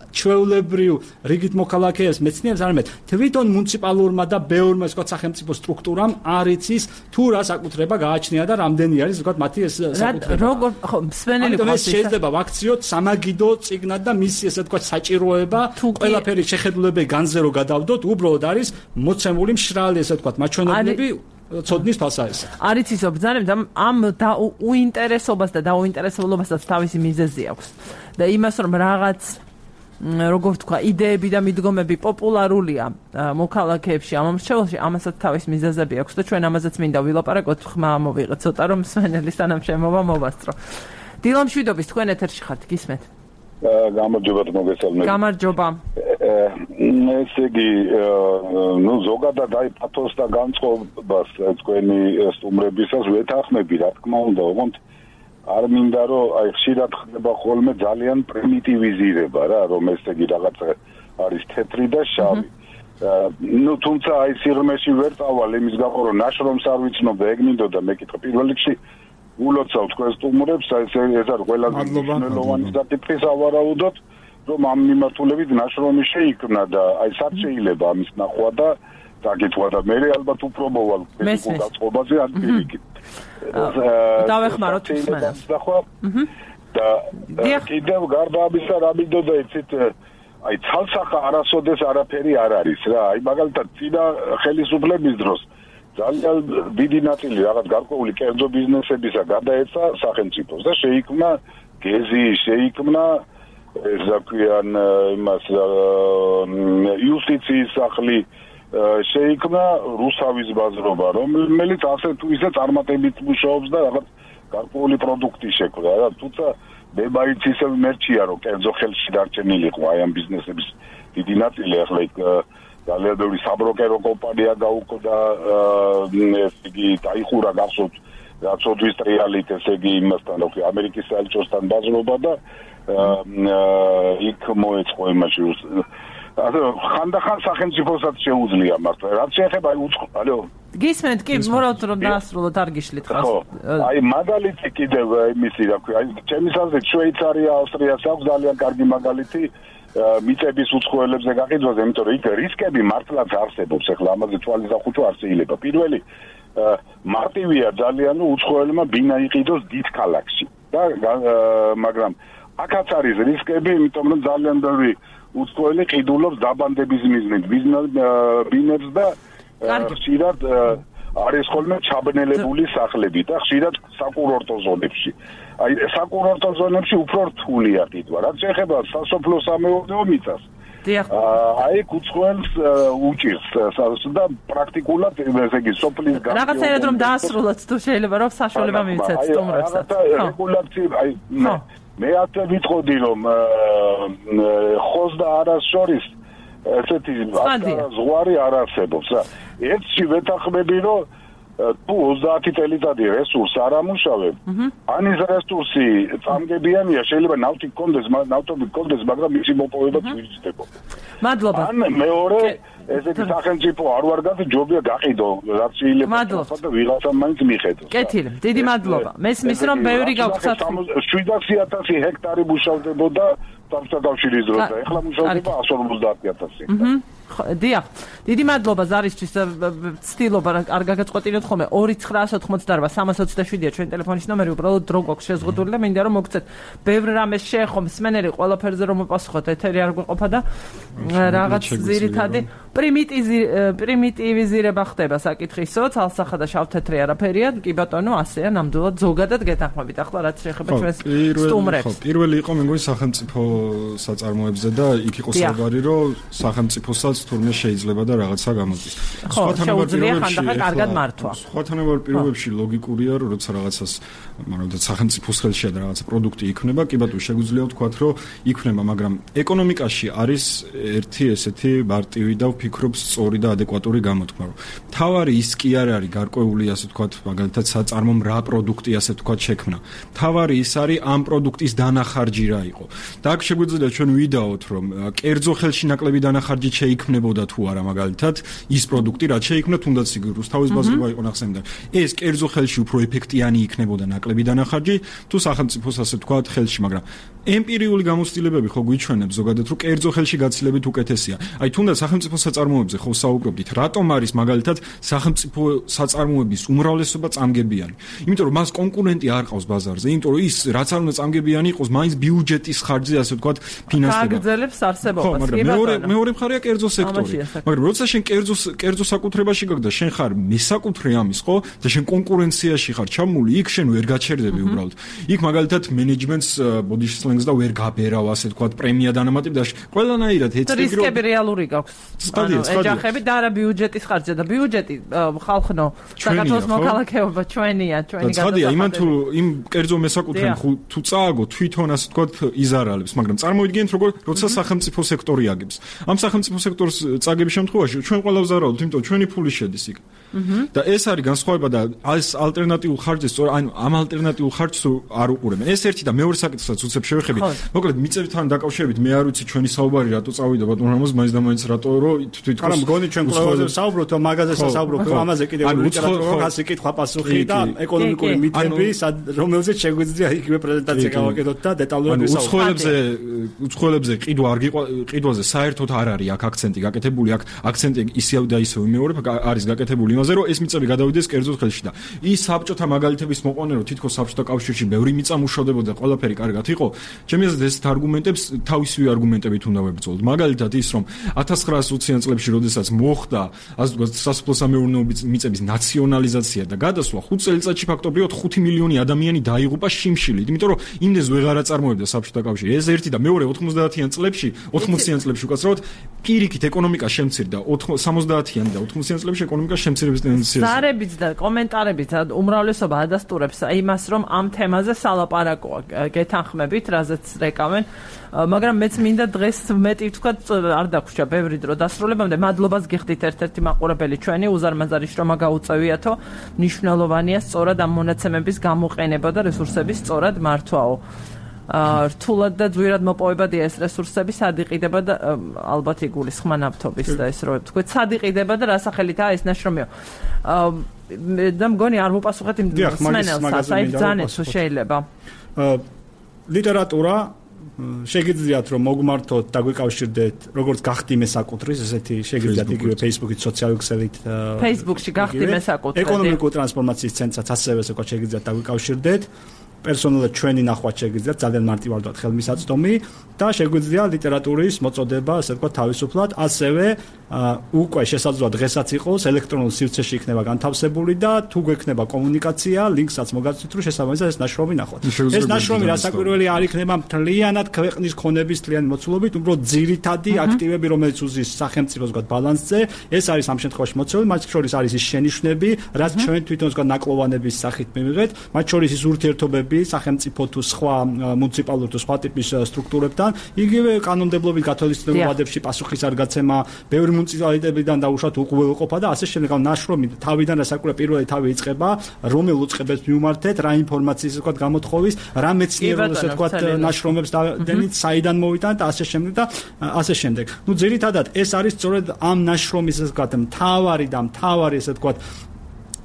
ჩვეულებრივ რიგით მოქალაქეებს მეცნიერებს, არამედ თვითონ მუნიციპალურმა და ბევრმა ესე ვთქვათ სახელმწიფო სტრუქტურამ არ იცის თუ რა საკუთრება გააჩნია და რამდენი არის ესე ვთქვათ მათი ეს საკუთრება. როგორ ხო მსვენელი ყავს შეიძლება ვაქციოთ სამაგიდო წიგნად და მისი ესე ვთქვათ საჭიროება ყველაფერი შეხედულებები განზე რო გადავდოთ, უბრალოდ არის მოცემული მშრალი ესე ვთქვათ მაჩვენებლები ცოდნის ფასაეს. არის ისო ბრძანებთ ამ უინტერესობას და დაუინტერესებულობასაც თავისი მიზეზი აქვს. და იმას რომ რაღაც როგორ ვთქვა, იდეები და მიდგომები პოპულარულია მოქალაქეებში ამ მრჩეველში, ამასაც თავის მიზეზები აქვს და ჩვენ ამაზეც მინდა ვილაპარაკოთ, ხმა მოვიღეთ ცოტა რომ მსვენელის თანამშრომლობა მოვასწრო. დილო მშვიდობის, თქვენ ეთერში ხართ, გისმენთ? გამარჯობა მოგესალმებით. გამარჯობა. ესე იგი, ნუ ზოგადად აი პათოს და განწყობას თქვენი სტუმრებისას ვეთანხმები, რა თქმა უნდა, ოღონდ არ მინდა რომ აი ხშირად ხდება ხოლმე ძალიან პრიმიტივიზირება რა, რომ ესე იგი რაღაც არის თეთრი და შავი. ნუ თუმცა აი სიღრმეში ვერ წავალ იმის გამო რომ ნაშრომს არ ვიცნობ და ეგ მინდოდა მეკითხა პირველ რიგში ულოცავ თქვენ სტუმრებს, აი ეს არის ყველაზე მნიშვნელოვანი საკითხი სავარაუდოდ, რომ ამ მიმართულებით ნაშრომი შეიქმნა და აი სად შეიძლება ამის ნახვა და დაგეთვა და მე ალბათ უფრო მოვალ განწყობაზე ან პირიქით. დავეხმაროთ მსმენელს. და კიდევ გარდა ამისა რა მინდოდა იცით აი ცალსახა არასოდეს არაფერი არ არის რა. აი მაგალითად წინა ხელისუფლების დროს ძალიან დიდი ნაწილი რაღაც გარკვეული კერძო ბიზნესებისა გადაეცა სახელმწიფოს და შეიქმნა გეზი, შეიქმნა ეს ზაქიან იმას იუსტიციის სახლი, შეიქმნა რუსავის ბაზრობა, რომელიც ასე თუ ისე წარმატებით მუშაობს და რაღაც გარკვეული პროდუქტი შექმნა რა. თუმცა მე მაინც ისე მერჩია რომ კერძო ხელში დარჩენილიყო აი ამ ბიზნესების დიდი ნაწილი ახლა იქ ძალიან ბევრი საბროკერო კომპანია გაუქმდა, ესე იგი დაიხურა გახსოვთ რაც ოდვის ტრიალით, ესე იგი იმასთან რო ამერიკის საელჩოსთან ბაზრობა და იქ მოეწყო იმაში ასე ხანდახან სახელმწიფოსაც შეუძლია მართლა. რაც შეეხება აი ალო გისმენთ კი მორავთ რომ დაასრულოთ არ გიშლით ხას. აი მაგალითი კიდევ იმისი რა ქვია, აი ჩემის აზრით შვეიცარია, ავსტრიას აქვს ძალიან კარგი მაგალითი მიწების უცხოელებზე გაყიდვაზე, იმიტომ რომ იქ რისკები მართლაც არსებობს. ახლა ამაზე თვალის დახუჭვა არ შეიძლება. პირველი მარტივია ძალიან უცხოელმა ბინა იყიდოს დიდ ქალაქში და მაგრამ აქაც არის რისკები, იმიტომ რომ ძალიან ბევრი უცხოელი ყიდულობს დაბანდების მიზნით ბინებს და ხშირად არის ხოლმე ჩაბნელებული სახლები და ხშირად საკურორტო ზონებში. აი საკურორტო ზონებში უფრო რთულია ყიდვა. რაც შეეხება სასოფლო-სამეურნეო მიწას, აი კუცხველს უჭირს და პრაქტიკულად ესე იგი სოფლის გასწავლა რაღაცა რომ დაასრულოთ თუ შეიძლება რომ საშუალება მივცეთ სტუმრებსაც რეგულაცია აი მე ასე ვიტყოდი რომ ხოს და არას შორის ესეთი ზღვარი არ არსებობს ერთში ვეთანხმები რომ თუ 30 წელიწადი რესურს არ ამუშავებ ან ის რესურსი წამგებიანია შეიძლება ნავთი გქონდეს მაგრამ მისი მოპოვება ძვირიჭდება მადლობა ან მეორე ესეთი სახელმწიფო არ ვარ გადი ჯობია გაყიდო რაც შეიძლება და ვიღაცა მაინც მიხედოს კეთილი დიდი მადლობა მესმის რომ ბევრი გავხსნათ 700,000 ჰექტარი მუშავდებოდა სამსახურის დროს და ეხლა მუშავდება 150,000 დიახ დიდი მადლობა ზარისთვის ცდილობა არ გაგაწყვეტინოთ ხოლმე 2988 ჩვენ ტელეფონის ნომერი უბრალოდ დრო გვაქვს შეზღუდული და მინდა რომ მოგცეთ ბევრ რამეს შეეხო მსმენელი ყველაფერზე რომ მოპასუხოთ ეთერი არ გვეყოფა და რაღაც ძირითადი პრიმიტივიზირება ხდება საკითხისო ცალსახა და შავთეთრი არაფერია კი ბატონო ასეა ნამდვილად ზოგადად გეთანხმებით ახლა რაც შეეხება ჩვენს სტუმრებს პირველი იყო მე მგონი სახელმწიფო საწარმოებზე და იქ იყო საუბარი რომ სახელმწიფოსაც თურმე შეიძლება და რაღაცა გამოდის. სხვა თანაბარ პირობებში ლოგიკურია რომ როცა რაღაცას მაგრამ სახელმწიფოს ხელშია და რაღაცა პროდუქტი იქნება, კი ბატონო შეგვიძლია ვთქვათ რომ იქნება, მაგრამ ეკონომიკაში არის ერთი ესეთი მარტივი და ვფიქრობ სწორი და ადეკვატური გამოთქმა რომ თავარი ის კი არ არის გარკვეული ასე ვთქვათ მაგალითად საწარმომ რა პროდუქტი ასე ვთქვათ შექმნა. თავარი ის არის ამ პროდუქტის დანახარჯი რა იყო. და აქ შეგვიძლია ჩვენ ვიდაოთ რომ კერძო ხელში ნაკლები დანახარჯი შეიქმნებოდა თუ არა მაგალითად ის პროდუქტი რაც შეიქმნა თუნდაც რუსთავის ბაზრობა იყო ნახსენდა. ეს კერძო ხელში უფრო ეფექტიანი იქნებოდა ნაკლები დანახარჯი თუ სახელმწიფოს ასე ვთქვათ ხელში, მაგრამ ემპირიული გამოცდილებები ხო გვიჩვენებს ზოგადად რომ კერძო ხელში გაცილებით უკეთესია. აი თუნდაც სახელმწიფო საწარმოებზე ხო საუბრობდით, რატომ არის მაგალითად სახელმწიფო საწარმოების უმრავლესობა წამგებიანი? იმიტომ რომ მას კონკურენტი არ ყავს ბაზარზე, იმიტომ რომ ის რაც არ უნდა წამგებიანი იყოს, მაინც ბიუჯეტის ხარჯზე ასე ვთქვათ ფინანსდება. აგრძელებს არსებობას. მეორე მხარეა კერძო სექტორი. მაგრამ როცა შენ კერძო საკუთრებაში გაქვს და შენ ხარ მესაკუთრე ამის, ხო? და შენ კონკურენციაში ხარ ჩამული, იქ შენ ვერ გაჩერდები უბრალოდ. იქ მაგალითად მენეჯმენტს ბოდიშ სლენგს და ვერ გაბერავ, ასე ვთქვათ, პრემია დანამატებ და ყველანაირად ეცები რომ რისკები რეალური გაქვს. ეჯახები და არა ბიუჯეტის ხარჯზე და ბიუჯეტი ხალხნო საქართველოს მოქალაქეობა ჩვენია, ჩვენი გადასახადები. იმან თუ იმ კერძო მესაკუთრემ თუ წააგო თვითონ ასე ვთქვათ იზარალებს, მაგრამ წარმოიდგინეთ როცა სახელმწიფო სექტორი აგებს. ამ სახელმწიფო სექტორს წაგების შემთხვევაში ჩვენ ყველა ვზარავთ, იმიტომ ჩვენი ფული შედის იქ. და ეს არის განსხვავება და ეს ალტერნატიულ ხარჯს, ანუ ამ ალტერნატიულ ხარჯს არ უყურებენ. ეს ერთი და მეორე საკითხსაც უცებ შევეხებით. მოკლედ მიწებთან დაკავშირებით მე არ ვიცი ჩვენი საუბარი რატო წავიდა ბატონ რამოს მაინც და მაინც რატო რომ თვითონ არა მგონი ჩვენ ყველაზე საუბრობთ ამ მაგაზეზე საუბრობთ ამაზე კიდევ ლიტერატურა ასე კითხვა პასუხი და ეკონომიკური მითები რომელზეც შეგვიძლია იგივე პრეზენტაცია გავაკეთოთ და დეტალურად ვისაუბროთ. უცხოელებზე ყიდვაზე საერთოდ არ არის აქ აქცენტი გაკეთებული, აქ აქცენტი ისევ და ისევ იმეორებ არის გაკეთებული იმაზე რომ ეს მიწები გადავიდეს კერძო ხელში და ის საბჭოთა მაგალითების მოყვანე რომ თითქოს საბჭოთა კავშირში ბევრი მიწა მუშავდებოდა ყველაფერი კარგად იყო. ჩემი აზრით ეს არგუმენტებს თავისივე არგუმენტებით უნდა ვებრძოლოთ. მაგალითად ის რომ 1920-იან წლებში როდესაც მოხდა ასე ვთქვათ სასოფლო-სამეურნეო მიწების ნაციონალიზაცია და გადასვლა 5 წელიწადში ფაქტობრივად 5 მილიონი ადამიანი დაიღუპა შიმშილით, იმიტომ რომ იმდენს ვეღარ აწარმოებდა საბჭოთა კავშირი. ეს ერთი და მეორე 90-იან წლებში უკაცრავად პირიქით ეკონომიკა შემცირდა 70-იან და 80-იან წლებში ეკონომიკა შემცირების ტენდენციაა. ზარებით და კომენტარებით უმრავლესობა ადასტურებს იმას, რომ ამ თემაზე სალაპარაკოა გეთანხმებით, რაზეც რეკავენ, მაგრამ მეც მინდა დღეს მეტი ვთქვათ არ დაგვრჩა ბევრი დრო დასრულებამდე. მადლობას გიხდით ერთ-ერთი მაყურებელი ჩვენი უზარმაზარი შრომა გაუწევიათო, მნიშვნელოვანია სწორად ამ მონაცემების გამოყენება და რესურსების სწორად მართვაო. რთულად და ძვირად მოპოვებადია ეს რესურსები, სად იყიდება და ალბათ იგულისხმა ნავთობის და ეს რო ვთქვით, სად იყიდება და რა სახელითაა ეს ნაშრომიო. და მგონი არ მოპასუხეთ იმ მსმენელს, აი ბრძანეთ თუ შეიძლება. ლიტერატურა შეგიძლიათ რომ მოგმართოთ და გვიკავშირდეთ როგორც გახდი მესაკუთრის ესეთი შეგიძლიათ იგივე Facebook-ით სოციალური ქსელით Facebook-ში გახდი მესაკუთრი ეკონომიკური ტრანსფორმაციის ცენტრსაც ასევე ესე ვთქვათ შეგიძლიათ და გვიკავშირდეთ პერსონალურად ჩვენი ნახვა შეგვიძლია ძალიან მარტივად ხელმისაწვდომი და შეგვიძლია ლიტერატურის მოწოდება, ასე ვთქვათ, თავისუფლად, ასევე უკვე შესაძლოა დღესაც იყოს ელექტრონულ სივრცეში იქნება განთავსებული და თუ გვექნება კომუნიკაცია, ლინკსაც მოგაცვით, რომ შესაბამისად ეს ნაშრომი ნახოთ. ეს ნაშრომი რასაკვირველი არ იქნება მთლიანად ქვეყნის ქონების მთლიანი მოცულობით, უბრალოდ ძირითადი აქტივები, რომელიც უზის სახელმწიფოს ვთქვათ ბალანსზე, ეს არის ამ შემთხვევაში მოცულები, მათ შორის არის ის შენიშვნები, რაც ჩვენ თვითონ ვთქვათ ნაკლოვანების სახით მივიღეთ, მათ შორის ის ურთიერთობები სახელმწიფო თუ სხვა მუნიციპალურ თუ სხვა ტიპის სტრუქტურებთან, იგივე კანონმდებლობით გათვალისწინებულ ვადებში პასუხის არ გაცემა, ბევრი მუნიციპალიტეტიდან დაუშვათ უყურებელყოფა და ასე შემდეგ. ნაშრომი თავიდან რასაკვირველია პირველი თავი იწყება, რომელ უწყებებს მიმართეთ, რა ინფორმაციის ვთქვათ გამოთხოვის, რა მეცნიერულ ასე ვთქვათ ნაშრომებს დადენით, საიდან მოვიტანეთ და ასე შემდეგ და ასე შემდეგ. ნუ ძირითადად ეს არის სწორედ ამ ნაშრომის ასე ვთქვათ მთავარი ასე ვთქვათ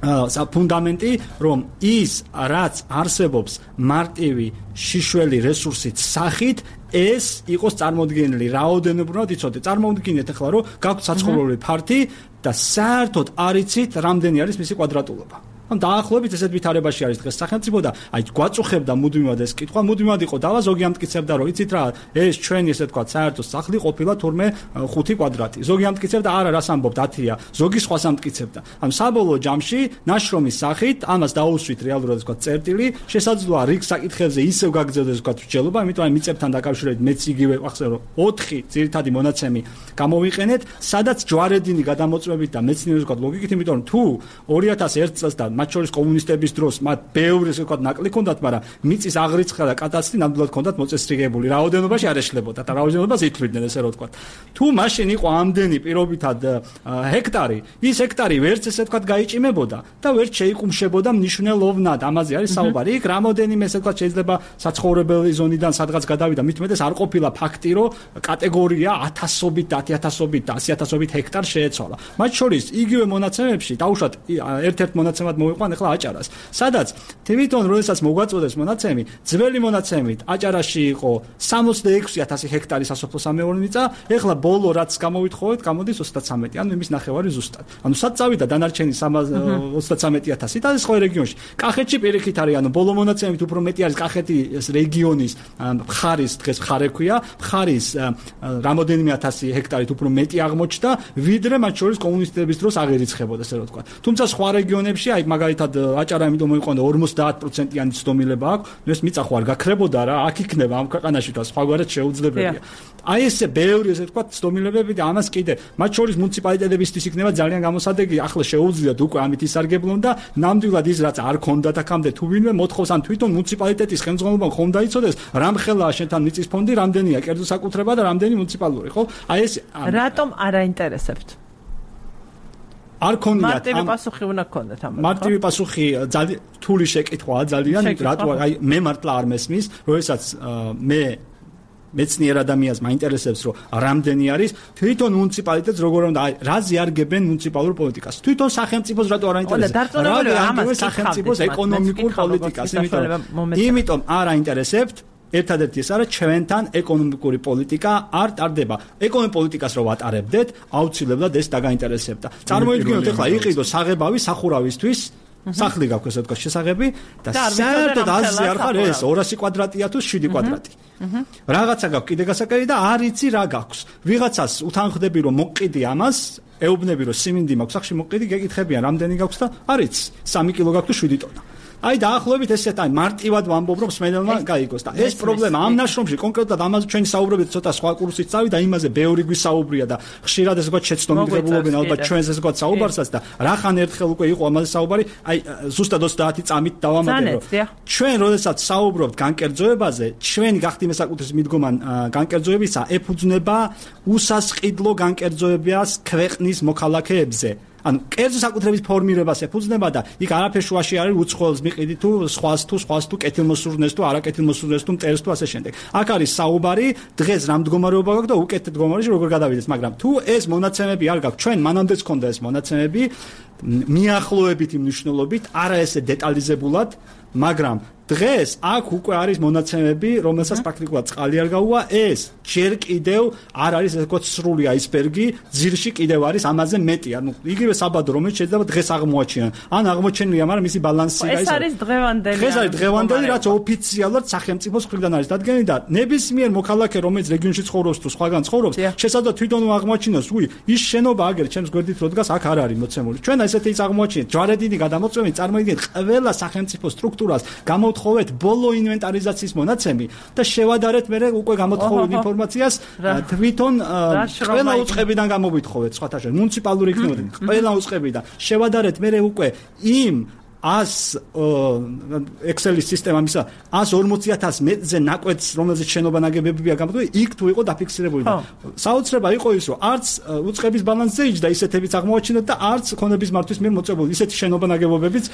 ფუნდამენტი, რომ ის რაც არსებობს მარტივი შიშველი რესურსით სახით ეს იყოს წარმოდგენილი რაოდენობრივად იცოდეთ. წარმოუდგინეთ ახლა რომ გაქვთ საცხოვრებელი ფართი და საერთოდ არ იცით რამდენი არის მისი კვადრატულობა. ან დაახლოებით ესეთ ვითარებაში არის დღეს სახელმწიფო და აი გვაწუხებდა მუდმივად ეს კითხვა, მუდმივად იყო დავა, ზოგი ამტკიცებდა რომ იცით რა, ეს ჩვენი ესე თქვა საერთო სახლი ყოფილა თურმე 5 კვადრატი. ზოგი ამტკიცებდა არა, რას ამბობთ 10-ია, ზოგი სხვას ამტკიცებდა. ან საბოლოო ჯამში ნაშრომის სახით ამას დაუსვით რეალურად თქვა წერტილი, შესაძლოა რიგ საკითხებზე ისევ გაგრძელდეს თქვა მსჯელობა, იმიტომ რომ მიწებთან დაკავშირებით მეც იგივე ახსენე რომ 4 ძირითადი მონაცემი გამოვიყენეთ, სადაც ჯვარედინი გადამოწმებით და მეცნიერის თქვა ლოგიკით, იმიტომ რომ თუ 2001 წელს და მათ შორის კომუნისტების დროს მათ ბევრი ესე ვთქვათ ნაკლი ჰქონდათ, მაგრამ მიწის აღრიცხვა და კადასტრი ნამდვილად ჰქონდათ მოწესრიგებული. რაოდენობაში არ ეშლებოდა და რაოდენობას ითვლიდნენ ესე რომ ვთქვათ. თუ მაშინ იყო ამდენი პირობითად ჰექტარი, ის ჰექტარი ვერც ესე ვთქვათ გაიჭიმებოდა და ვერც შეიკუმშებოდა მნიშვნელოვნად. ამაზე არის საუბარი. იქ რამოდენიმე ესე ვთქვათ შეიძლება საცხოვრებელი ზონიდან სადღაც გადავიდა, მით უმეტეს არ ყოფილა ფაქტი, რომ კატეგორია 1000-ობით, 10000-ობით და 100.000-ობით ჰექტარ შეეცვალა. მათ შორის იგივე მონაცემებში დაუშვათ ერთ-ერთ მონაცემად მოვიყვან ახლა აჭარას, სადაც თვითონ როდესაც მოგვაწოდეს მონაცემი, ძველი მონაცემით აჭარაში იყო 66000 ჰექტარი სასოფლო-სამეურნეო მიწა, ახლა ბოლო რაც გამოვითხოვეთ, გამოდის 33, ანუ იმის ნახევარი ზუსტად. ანუ სად წავიდა დანარჩენი 33000 და ეს ხო რეგიონში. კახეთში პირიქით არის, ანუ ბოლო მონაცემით უფრო მეტი არის კახეთის რეგიონის მხარის, დღეს მხარე ქვია, მხარის რამოდენიმე 1000 ჰექტარით უფრო მეტი აღმოჩნდა, ვიდრე მათ შორის კომუნისტების დროს აღერიცხებოდა, ესე რომ ვთქვა. თუმცა სხვა რეგიონებში, აი მაგალითად აჭარა იმიტომ მოიყვანა 50%-იანი ცდომილება აქვს, ნუ ეს მიწა ხო არ გაქრებოდა რა, აქ იქნება ამ ქვეყანაში და სხვაგვარად შეუძლებელია. აი ესე ბევრი ესე ვთქვა ცდომილებები და ამას კიდე მათ შორის მუნიციპალიტეტებისთვის იქნება ძალიან გამოსადეგი, ახლა შეუძლიათ უკვე ამით ისარგებლონ და ნამდვილად ის რაც არ ქონდათ აქამდე თუ ვინმე მოთხოვს ან თვითონ მუნიციპალიტეტის ხელმძღვანელობამ ხომ დაიცოდეს, რამ ხელაა შენთან მიწის ფონდი, რამდენია კერძო საკუთრება და რამდენი მუნიციპალური, ხო? აი ეს რატომ არ აინტერესებთ? არ ქონიათ მარტივი პასუხი უნდა გქონდეთ ამაზე. მარტივი პასუხი ძალიან რთული შეკითხვაა ძალიან, რატო აი მე მართლა არ მესმის, როდესაც მე მეცნიერ ადამიანს მაინტერესებს რომ რამდენი არის თვითონ მუნიციპალიტეტს როგორ უნდა რაზე არგებენ მუნიციპალურ პოლიტიკას, თვითონ სახელმწიფოს რატო არ აინტერესებს, რა სახელმწიფოს ეკონომიკურ პოლიტიკას, იმიტომ არ აინტერესებთ. ერთადერთი ეს არის ჩვენთან ეკონომიკური პოლიტიკა არ ტარდება. ეკონომიკურ პოლიტიკას რო ვატარებდეთ, აუცილებლად ეს დაგაინტერესებდა. წარმოიდგინოთ ახლა იყიდო საღებავი სახურავისთვის, სახლი გაქვს ესე ვთქვათ შესაღები და საერთოდ აზრი არ ხარ ეს 200 კვადრატია თუ 7 კვადრატი. რაღაცა გაქვს კიდე გასაკეთებელი და არ იცი რა გაქვს. ვიღაცას უთანხმდები რომ მოყიდი ამას, ეუბნები რომ სიმინდი მაქვს სახში მოყიდი, გეკითხებიან რამდენი გაქვს და არ იცი. 3 კილო გაქვს თუ 7 ტონა. აი დაახლოებით ესეთ აი მარტივად ვამბობ რომ სმენელმა გაიგოს და ეს პრობლემა ამ ნაშრომში კონკრეტულად ამაზე ჩვენი საუბრობთ ცოტა სხვა კურსით წავიდა იმაზე ბევრი გვისაუბრია და ხშირად ესე ვთქვათ შეცდომილებულობენ ალბათ ჩვენს ესე ვთქვათ საუბარსაც და რახან ერთხელ უკვე იყო ამაზე საუბარი აი ზუსტად 30 წამით დავამატე რომ ჩვენ როდესაც საუბრობთ განკერძოებაზე ჩვენი გახდი მესაკუთრების მიდგომა განკერძოებისა ეფუძნება უსასყიდლო განკერძოებას ქვეყნის მოქალაქეებზე ანუ კერძო საკუთრების ფორმირებას ეფუძნება და იქ არაფერ შუაში არის უცხოელს მიყიდი თუ სხვას თუ კეთილმოსურნეს თუ არაკეთილმოსურნეს თუ მტერს თუ ასე შემდეგ. აქ არის საუბარი დღეს რა მდგომარეობა გაქვს და უკეთ მდგომარეობაში როგორ გადავიდეთ, მაგრამ თუ ეს მონაცემები არ გაქვს, ჩვენ მანამდეც ქონდა ეს მონაცემები მიახლოებით იმ მნიშვნელობით, არა ესე დეტალიზებულად, მაგრამ დღეს აქ უკვე არის მონაცემები, რომელსაც პრაქტიკულად წყალი არ გაუვა, ეს ჯერ კიდევ არ არის ესე ვთქვათ სრული აისბერგი, ძირში კიდევ არის ამაზე მეტი. ანუ იგივე საბადო, რომელიც შეიძლება დღეს აღმოაჩინონ. ან აღმოჩენილია, მაგრამ მისი ბალანსი ეს არის დღევანდელი. დღეს არის დღევანდელი, რაც ოფიციალურად სახელმწიფოს მხრიდან არის დადგენილი და ნებისმიერ მოქალაქე, რომელიც რეგიონში ცხოვრობს თუ სხვაგან ცხოვრობს, შესაძლოა თვითონ აღმოაჩინოს, ის შენობა აგერ ჩემს გვერდით რო დგას, აქ არ არის მოცემული. ჩვენ ესეთი ის აღმოაჩინეთ, ჯვარედინი გადამოწვევით, წარმოიდგინეთ, ყველა სახელმწიფო სტრუქტურას გამოვთხოვეთ ბოლო ინვენტარიზაციის მონაცემი და შევადარეთ მერე უკვე გამოთხოვილ ინფორმაციას თვითონ ყველა უწყებიდან გამოვითხოვეთ, სხვათა შორის მუნიციპალური იქნებოდნენ, ყველა უწყებიდან. შევადარეთ მერე უკვე იმ 100 Excel-ის სისტემა მისა 140,000 მეტრზე ნაკვეთს, რომელზეც შენობა ნაგებებია გამოთქვი, იქ თუ იყო დაფიქსირებული. საოცრება იყო ის, რომ არც უწყების ბალანსზე იჯდა ისეთებიც აღმოაჩინოთ და არც ქონების მართვის მიერ მოწებული ისეთი შენობა ნაგებობებიც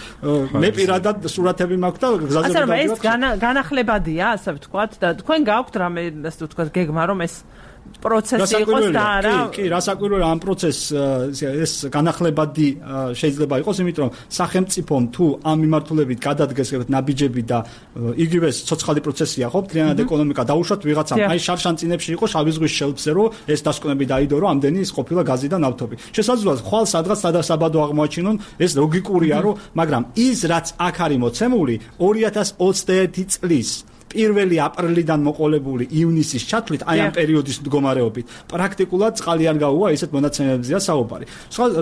მე პირადად სურათები მაქვს და გზაზე ასე რომ ეს განახლებადია, ასე ვთქვათ და თქვენ გაქვთ რამე ასე ვთქვათ გეგმა რომ ეს პროცესი იყოს და არა. კი, რასაკვირველია ამ პროცესს ეს განახლებადი შეიძლება იყოს, იმიტომ რომ სახელმწიფომ თუ ამ მიმართულებით გადადგეს ნაბიჯები და იგივე ცოცხალი პროცესია ხო, მთლიანად ეკონომიკა დაუშვათ ვიღაცამ. აი შარშანწინებში იყო შავი ზღვის შელფზე, რომ ეს დასკვნები დაიდო, რომ ამდენი ის ყოფილა გაზი და ნავთობი. შესაძლოა ხვალ სადღაც სადასაბადო აღმოაჩინონ, ეს ლოგიკურია, რომ მაგრამ ის რაც აქ არის მოცემული 2021 წლის 1 აპრილიდან მოყოლებული ივნისის ჩათვლით აი ამ პერიოდის მდგომარეობით პრაქტიკულად წყალი არ გაუვა, ისეთ მონაცემებზეა საუბარი.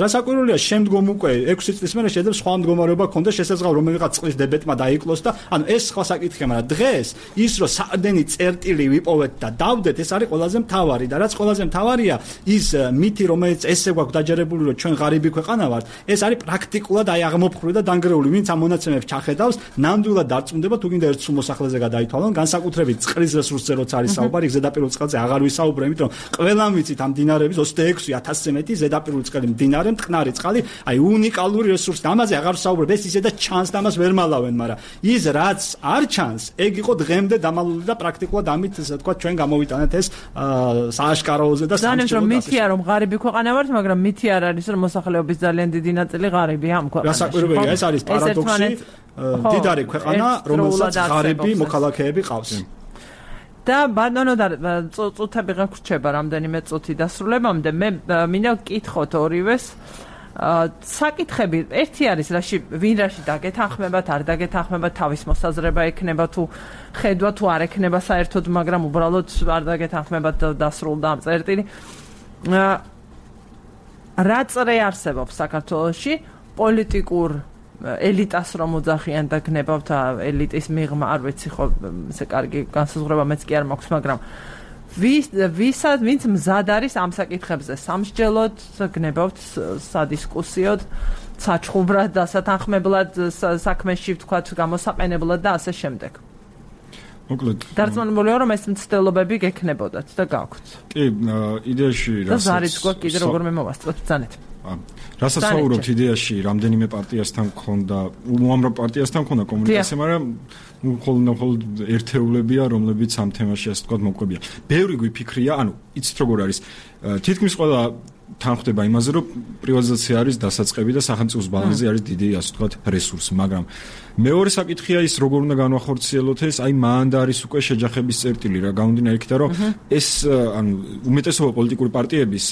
რასაკვირველია, შემდგომ უკვე 6 წლის მერე შეიძლება სხვა მდგომარეობა ქონდეს, შესაძლოა რომელიღაც წყლის დებეტმა დაიკლოს და ანუ ეს სხვა საკითხია, მაგრამ დღეს ის რომ საყრდენი წერტილი ვიპოვეთ და დავდეთ, ეს არის ყველაზე მთავარი და რაც ყველაზე მთავარია, ის მითი, რომელიც ესე გვაქვს დაჯერებული, რომ ჩვენ ღარიბი ქვეყანა ვართ, ეს არის პრაქტიკულად აი აღმოფხვრილი და დანგრეული, ვინც ამ მონაცემებს ჩახედავს, ნამდვილად დარწმუნდება, თუ გინდა ერთ სულ მოსახლეზე გადაითვალოს. განსაკუთრებით წყლის რესურსზე როცა არის საუბარი, ზედაპირულ წყალზე აღარ ვისაუბრე, იმიტომ რომ ყველამ ვიცით ამ მდინარეების 26,000-ზე მეტი ზედაპირული წყალი მდინარე, მტკნარი წყალი, აი უნიკალური რესურსი. ამაზე აღარ ვსაუბრებ, ეს ისე და ჩანს და ამას ვერ მალავენ, მაგრამ ის რაც არ ჩანს, ეგ იყო დღემდე დამალული და პრაქტიკულად ამით ესე ვთქვათ ჩვენ გამოვიტანეთ ეს სააშკაროზე და სამჭიროდ. ძალიან მითია რომ ღარიბი ქვეყანა ვართ, მაგრამ მითი არ არის რომ მოსახლეობის ძალიან დიდი ნაწილი ღარიბია ამ ქვეყანაში. რასაკვირველია, ეს არის პარადოქსი. დიდარი ქვეყანა, რომელსაც ღარიბი მოქალაქეები ყავს. და ბატონო და წუთები გაგრჩება რამდენიმე წუთი დასრულებამდე. მე მინდა ვკითხოთ ორივეს საკითხები. ერთი არის ვინ რაში დაგეთანხმებათ, არ დაგეთანხმებათ, თავის მოსაზრება ექნება თუ ხედვა თუ არ ექნება საერთოდ, მაგრამ უბრალოდ არ დაგეთანხმებათ დასრულდა ამ წერტილი. რა წრე არსებობს საქართველოში პოლიტიკურ ელიტას რომ უძახიან და გნებავთ ელიტის მიღმა, არ ვიცი ხო, ესე კარგი განსაზღვრება მეც კი არ მაქვს, მაგრამ ვინც მზად არის ამ საკითხებზე სამსჯელოდ გნებავთ სადისკუსიოდ, საჩხუბრად, დასათანხმებლად საქმეში ვთქვათ, გამოსაყენებლად და ასე შემდეგ. მოკლედ დარწმუნებულია რომ ეს მცდელობები გექნებოდათ და გაქვთ. კი, იდეაში და ზარიც გვაქვს კიდე როგორმე მოვასწროთ ბრძანეთ. რასაც საუბრობთ იდეაში, რამდენიმე პარტიასთან მქონდა, უამრავ პარტიასთან მქონდა კომუნიკაცია, მაგრამ მხოლოდ ერთეულებია, რომლებიც ამ თემაში ასე ვთქვათ მოკვებია. ბევრი გვიფიქრია, ანუ იცით როგორ არის, თითქმის ყველა თანხდება იმაზე, რომ პრივატიზაცია არის დასაწყები და სახელმწიფოს ბალანსზე არის დიდი ასე ვთქვათ რესურსი, მაგრამ მეორე საკითხია ის, როგორ უნდა განვახორციელოთ ეს, აი მანდა არის უკვე შეჯახების წერტილი რა გამომდინარე იქიდან, რომ ეს ანუ უმეტესობა პოლიტიკური პარტიების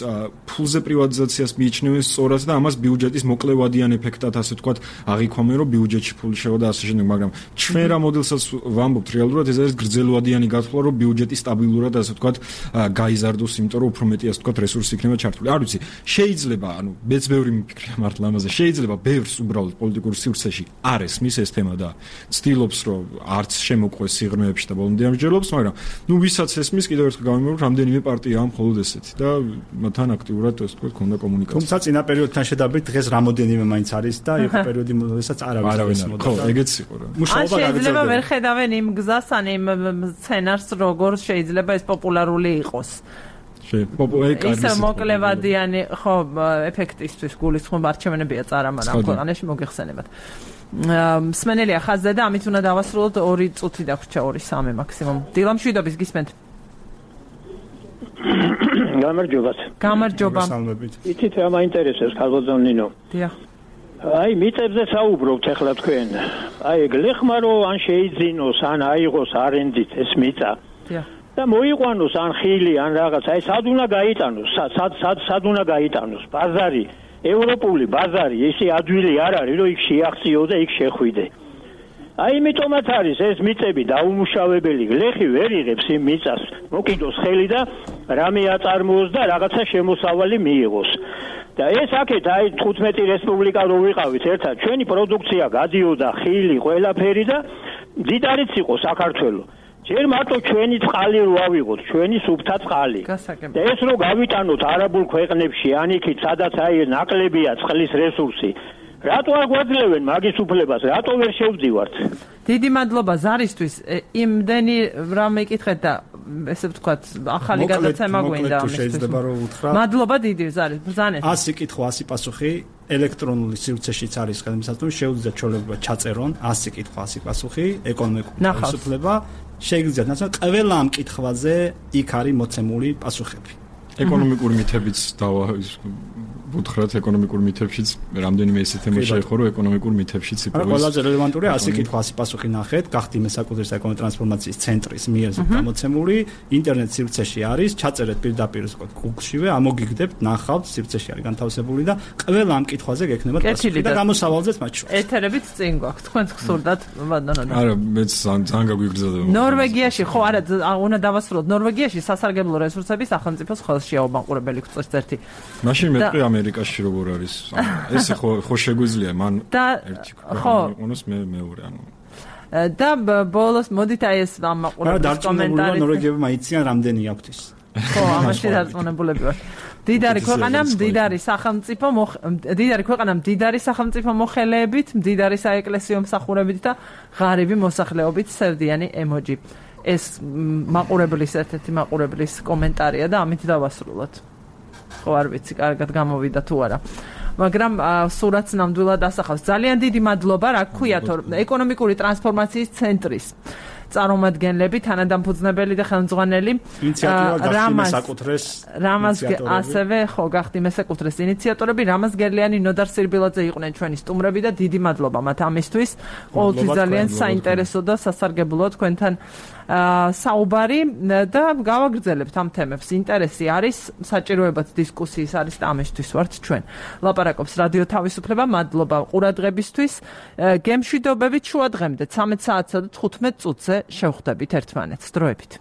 ფულზე პრივატიზაციას მიიჩნევენ სწორად და ამას ბიუჯეტის მოკლევადიან ეფექტად ასე ვთქვათ აღიქვამენ, რომ ბიუჯეტში ფული შევა და ასე შემდეგ, მაგრამ ჩვენ რა მოდელსაც ვამბობთ რეალურად, ეს არის გრძელვადიანი გათვლა, რომ ბიუჯეტი სტაბილურად ასე ვთქვათ გაიზარდოს, იმიტომ რომ უფრო მეტი ასე ვთქვათ რესურსი იქნება ჩართული. არ ვიცი, შეიძლება, ანუ მეც ბევრი მიფიქრია მართლა ამაზე, შეიძლება ბევრს უბრალოდ პოლიტიკურ სივრცეში არ ესმის ეს თემა და ცდილობს რომ არც შემოყვეს სიღრმეებში და ბოლომდე ამჯერლობს, მაგრამ ნუ ვისაც ესმის კიდევ ერთხელ გავიმეორებ, რამდენიმე პარტია ამ მხოლოდ ესეთი და მათთან აქტიურად ასე ვთქვათ ქონდა კომუნიკაცია. თუმცა წინა პერიოდთან შედარებით დღეს რამოდენიმე მაინც არის და იყო პერიოდი, როდესაც არავინ ხო, ეგეც იყო რა. მუშაობა შეიძლება ვერ ხედავენ იმ გზას, ან იმ სცენარს, როგორ შეიძლება ეს პოპულარული იყოს. ისე მოკლევადიანი ხო ეფექტისთვის გულისხმობ არჩევნებია წარამატა ამ ქვეყანაში მოგეხსენებათ. მსმენელია ხაზზე და ამით უნდა დავასრულოთ 2 წუთი დაგვრჩა 2-3 მაქსიმუმ. დილამშვიდობის გისმენთ. გამარჯობა. გამარჯობა. სამლებით. იცით რა მაინტერესებს ქალბატონ ნინო? დიახ. აი მიწებზე საუბრობთ ახლა თქვენ. აი გლეხმა რომ ან შეიძინოს, ან აიღოს არენდით ეს მიწა. და მოიყვანოს ან ხილი, ან რაღაც. აი სად უნდა გაიტანოს? სად უნდა გაიტანოს? ბაზარი, ევროპული ბაზარი, ესე ადვილი არ არის, რომ იქ შეახციო და იქ შეხვიდე. აი იმიტომაც არის ეს მიწები დაუმუშავებელი, გლეხი ვერ იღებს იმ მიწას. მოკიდოს ხელი და რამე აწარმოოს და რაღაცა შემოსავალი მიიღოს. და ეს აქეთ აი 15 რესპუბლიკა რო ვიყავით ერთად, ჩვენი პროდუქცია გადიოდა ხილი, ყველაფერი და დიდარიც იყო საქართველოს. ჯერ მარტო ჩვენი წყალი რო ავიღოთ, ჩვენი სუფთა წყალი. და ეს რო გავიტანოთ არაბულ ქვეყნებში, ან იქით, სადაც აი ნაკლებია წყლის რესურსი. რატო არ გვაძლევენ მაგის უფლებას? რატო ვერ შევდივართ? დიდი მადლობა ზარისთვის. იმდენი რამ მეკითხეთ და ესე ვთქვათ, ახალი გადაცემა გვინდა ამისთვის. მადლობა დიდი ზარი, ბრძანეთ. 100 კითხვა, 100 პასუხი ელექტრონული სივრცეშიც არის გადამსაცდელი, შეუძლიათ ჩვეულებრივად ჩაწერონ 100 კითხვა, 100 პასუხი, ეკონომიკური თავისუფლება. Შეგვიძლიათ ნაცნობ ყველა ამ კითხვაზე იქ არის მოცემული პასუხები. ეკონომიკური მითებიც უთხრათ ეკონომიკურ მითებშიც რამდენიმე ესე თემა შეეხო რომ ეკონომიკურ მითებშიც იპოვეს. ყველაზე რელევანტურია 100 კითხვა 100 პასუხი ნახეთ, გახდიმე საკუთრის ეკონომიკური ტრანსფორმაციის ცენტრის მიერ გამოცემული ინტერნეტ სივრცეში არის, ჩაწერეთ პირდაპირ Google-შივე, ამოგიგდებთ, ნახავთ, სივრცეში არის განთავსებული და ყველა ამ კითხვაზე გექნებათ პასუხი და გამოსავალზეც მათ შორის. ეთერებით წინ გვაქვს, თქვენც გსურდათ, ბატონო. არა, მეც ძალიან გაგვიგრძელდება. ნორვეგიაში ხო არა, უნდა დავასრულოთ. ნორვეგიაში სასარგებლო რესურსების სახელმწიფოს ხელშია უბანყურებელი გწევს ერთი. მაშინ მეტყვი ამერიკაში როგორ არის? ეს ხო შეგვიძლია მან ერთი ქვეყანას მეორე ანუ და ბოლოს მოდით აი ეს ამაყურებლის კომენტარი. ნორვეგიები მაიციან რამდენი აქვთ ის. ხო, ამაში დარწმუნებულები ვარ. დიდარი ქვეყანა, დიდარი სახელმწიფო, დიდარი ქვეყანა, დიდარი სახელმწიფო მოხელეებით, დიდარი საეკლესიო მსახურებით და ღარიბი მოსახლეობით სევდიანი ემოჯი. ეს მაყურებლის ერთ-ერთი მაყურებლის კომენტარია და ამით დავასრულოთ. ხო არ ვიცი, კარგად გამოვიდა თუ არა. მაგრამ სურათს ნამდვილად ასახავს. ძალიან დიდი მადლობა, რა გქვიათ, ეკონომიკური ტრანსფორმაციის ცენტრის წარმომადგენლები, თანადამფუძნებელი და ხელმძღვანელი რამაზ ასევე ხო გახდიმე საკუთრეს ინიციატორები რამაზ გერლიანი, ნოდარ სირბილაძე იყვნენ ჩვენი სტუმრები და დიდი მადლობა მათ ამისთვის. ყოველთვის ძალიან საინტერესო და სასარგებლოა თქვენთან საუბარი და გავაგრძელებთ ამ თემებს. ინტერესი არის, საჭიროებაც დისკუსიის არის და ამისთვის ვართ ჩვენ. ლაპარაკობს რადიო თავისუფლება, მადლობა ყურადღებისთვის. გემშვიდობებით შუა დღემდე 13 საათსა და 15 წუთზე შევხვდებით ერთმანეთს. დროებით.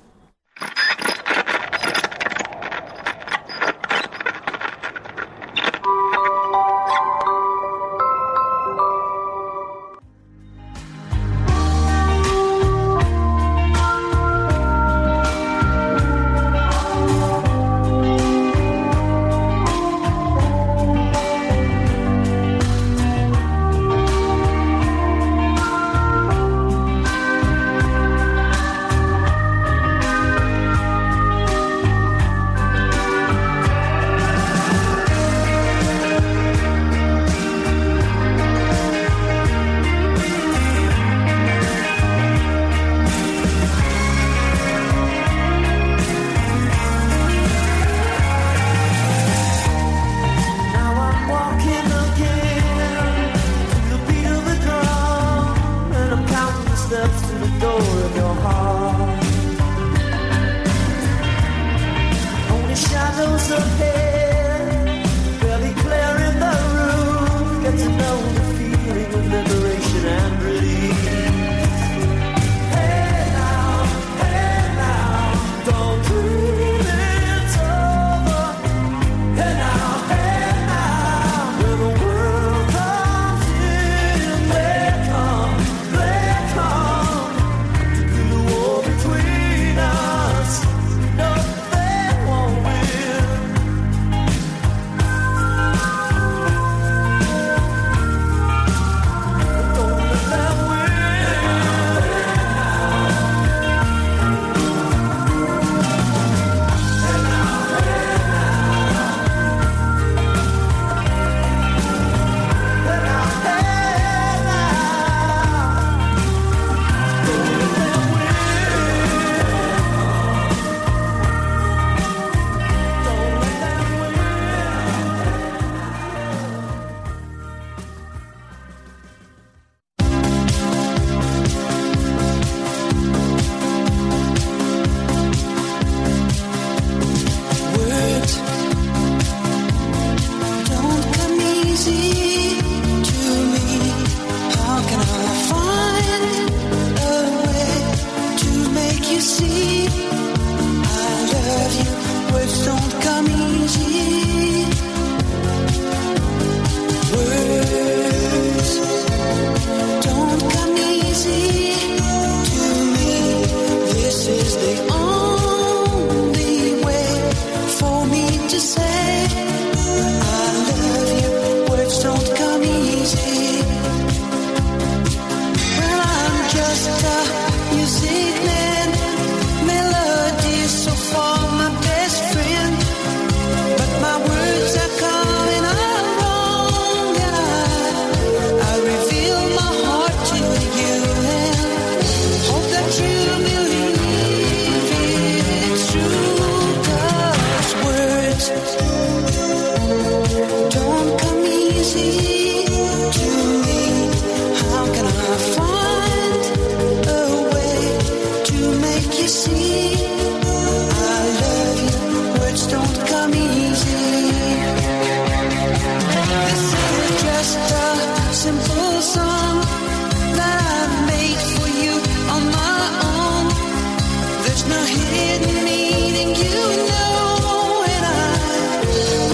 hidden meaning, you know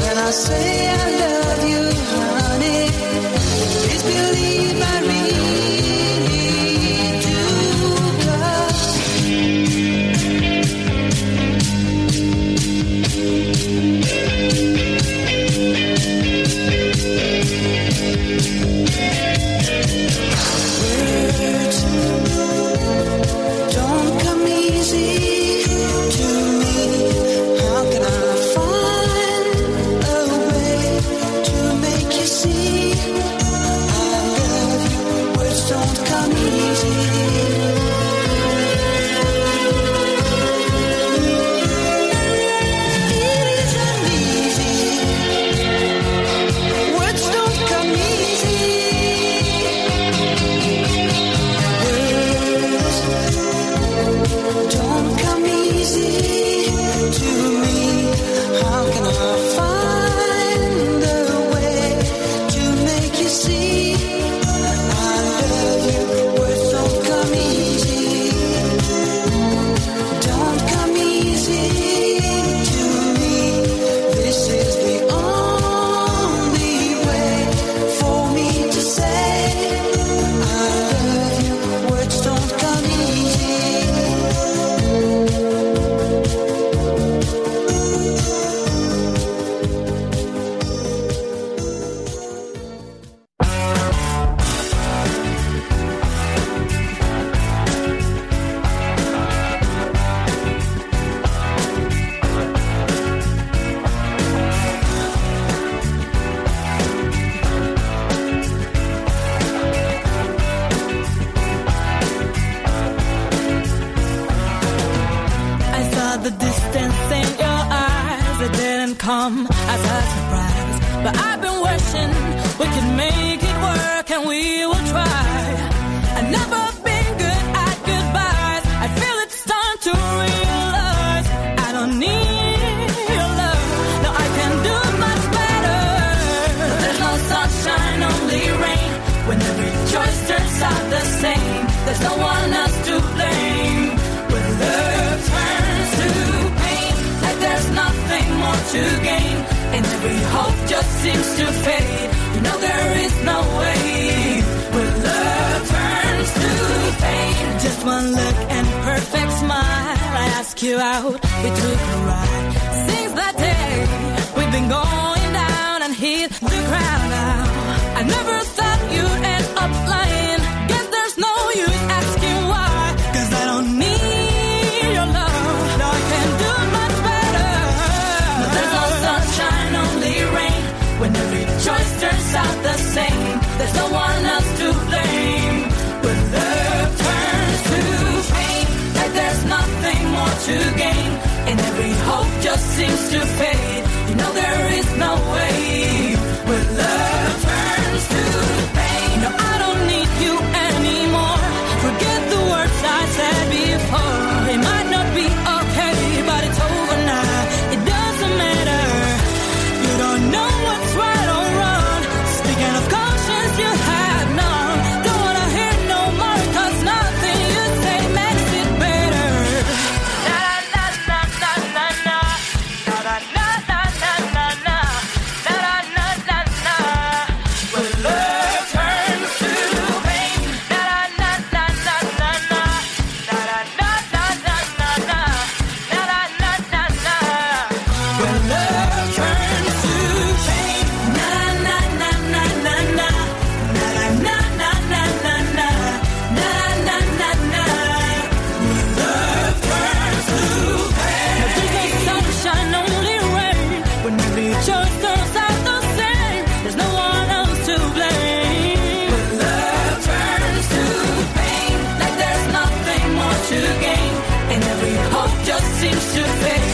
when I say I love you, honey, please believe I really do. Words don't come easy to me. How can I find a way to make you see I love you? Words don't come easy. It isn't easy. Words don't come easy. Words don't come easy to me. How can I find a way to make you see I love you? Words don't come easy. Don't come easy to me. This is the only way for me to say I love you. Words don't come easy. I saw the distance in your eyes. It didn't come as a surprise. But I've been wishing we could make it work, and we will try. I've never been good at goodbyes. I feel it's time to realize I don't need your love. No, I can do much better. There's no sunshine, only rain. When every choice turns out the same, there's no one else to blame. When love turns to pain, like there's nothing more to gain, and every hope just seems to fade. You know there is no way. When love turns to pain, just one look and perfect smile. I ask you out, we took a ride. Since that day, we've been going down and hit the ground now. I never thought you'd end up lying. Guess there's no use asking why, 'cause I don't need your love. No, I can do much better. No, there's no sunshine, only rain. When every choice turns out the same, there's no one else to blame. When love turns to pain, like there's nothing more to gain, and every hope just seems to fade. You know there is no way. When love turns to pain, no, I don't need you anymore. Forget the words I said before. It might not be okay, but it's over now. It doesn't matter. You don't know what's right or wrong. Speaking of conscience, you have none. Don't wanna hear no more, 'cause nothing you say makes it better. Na na na na na na na na na na na na na na na na na. When love turns to pain, na na na na na na na na na na na na na na na. When love turns to pain, na na na na na na na na na na na na na na na. When love turns to pain, there's no sunshine, only rain. When every choice turns out the same, there's no one else to blame. When love turns to pain, like there's nothing more to gain, and every hope just seems to fade.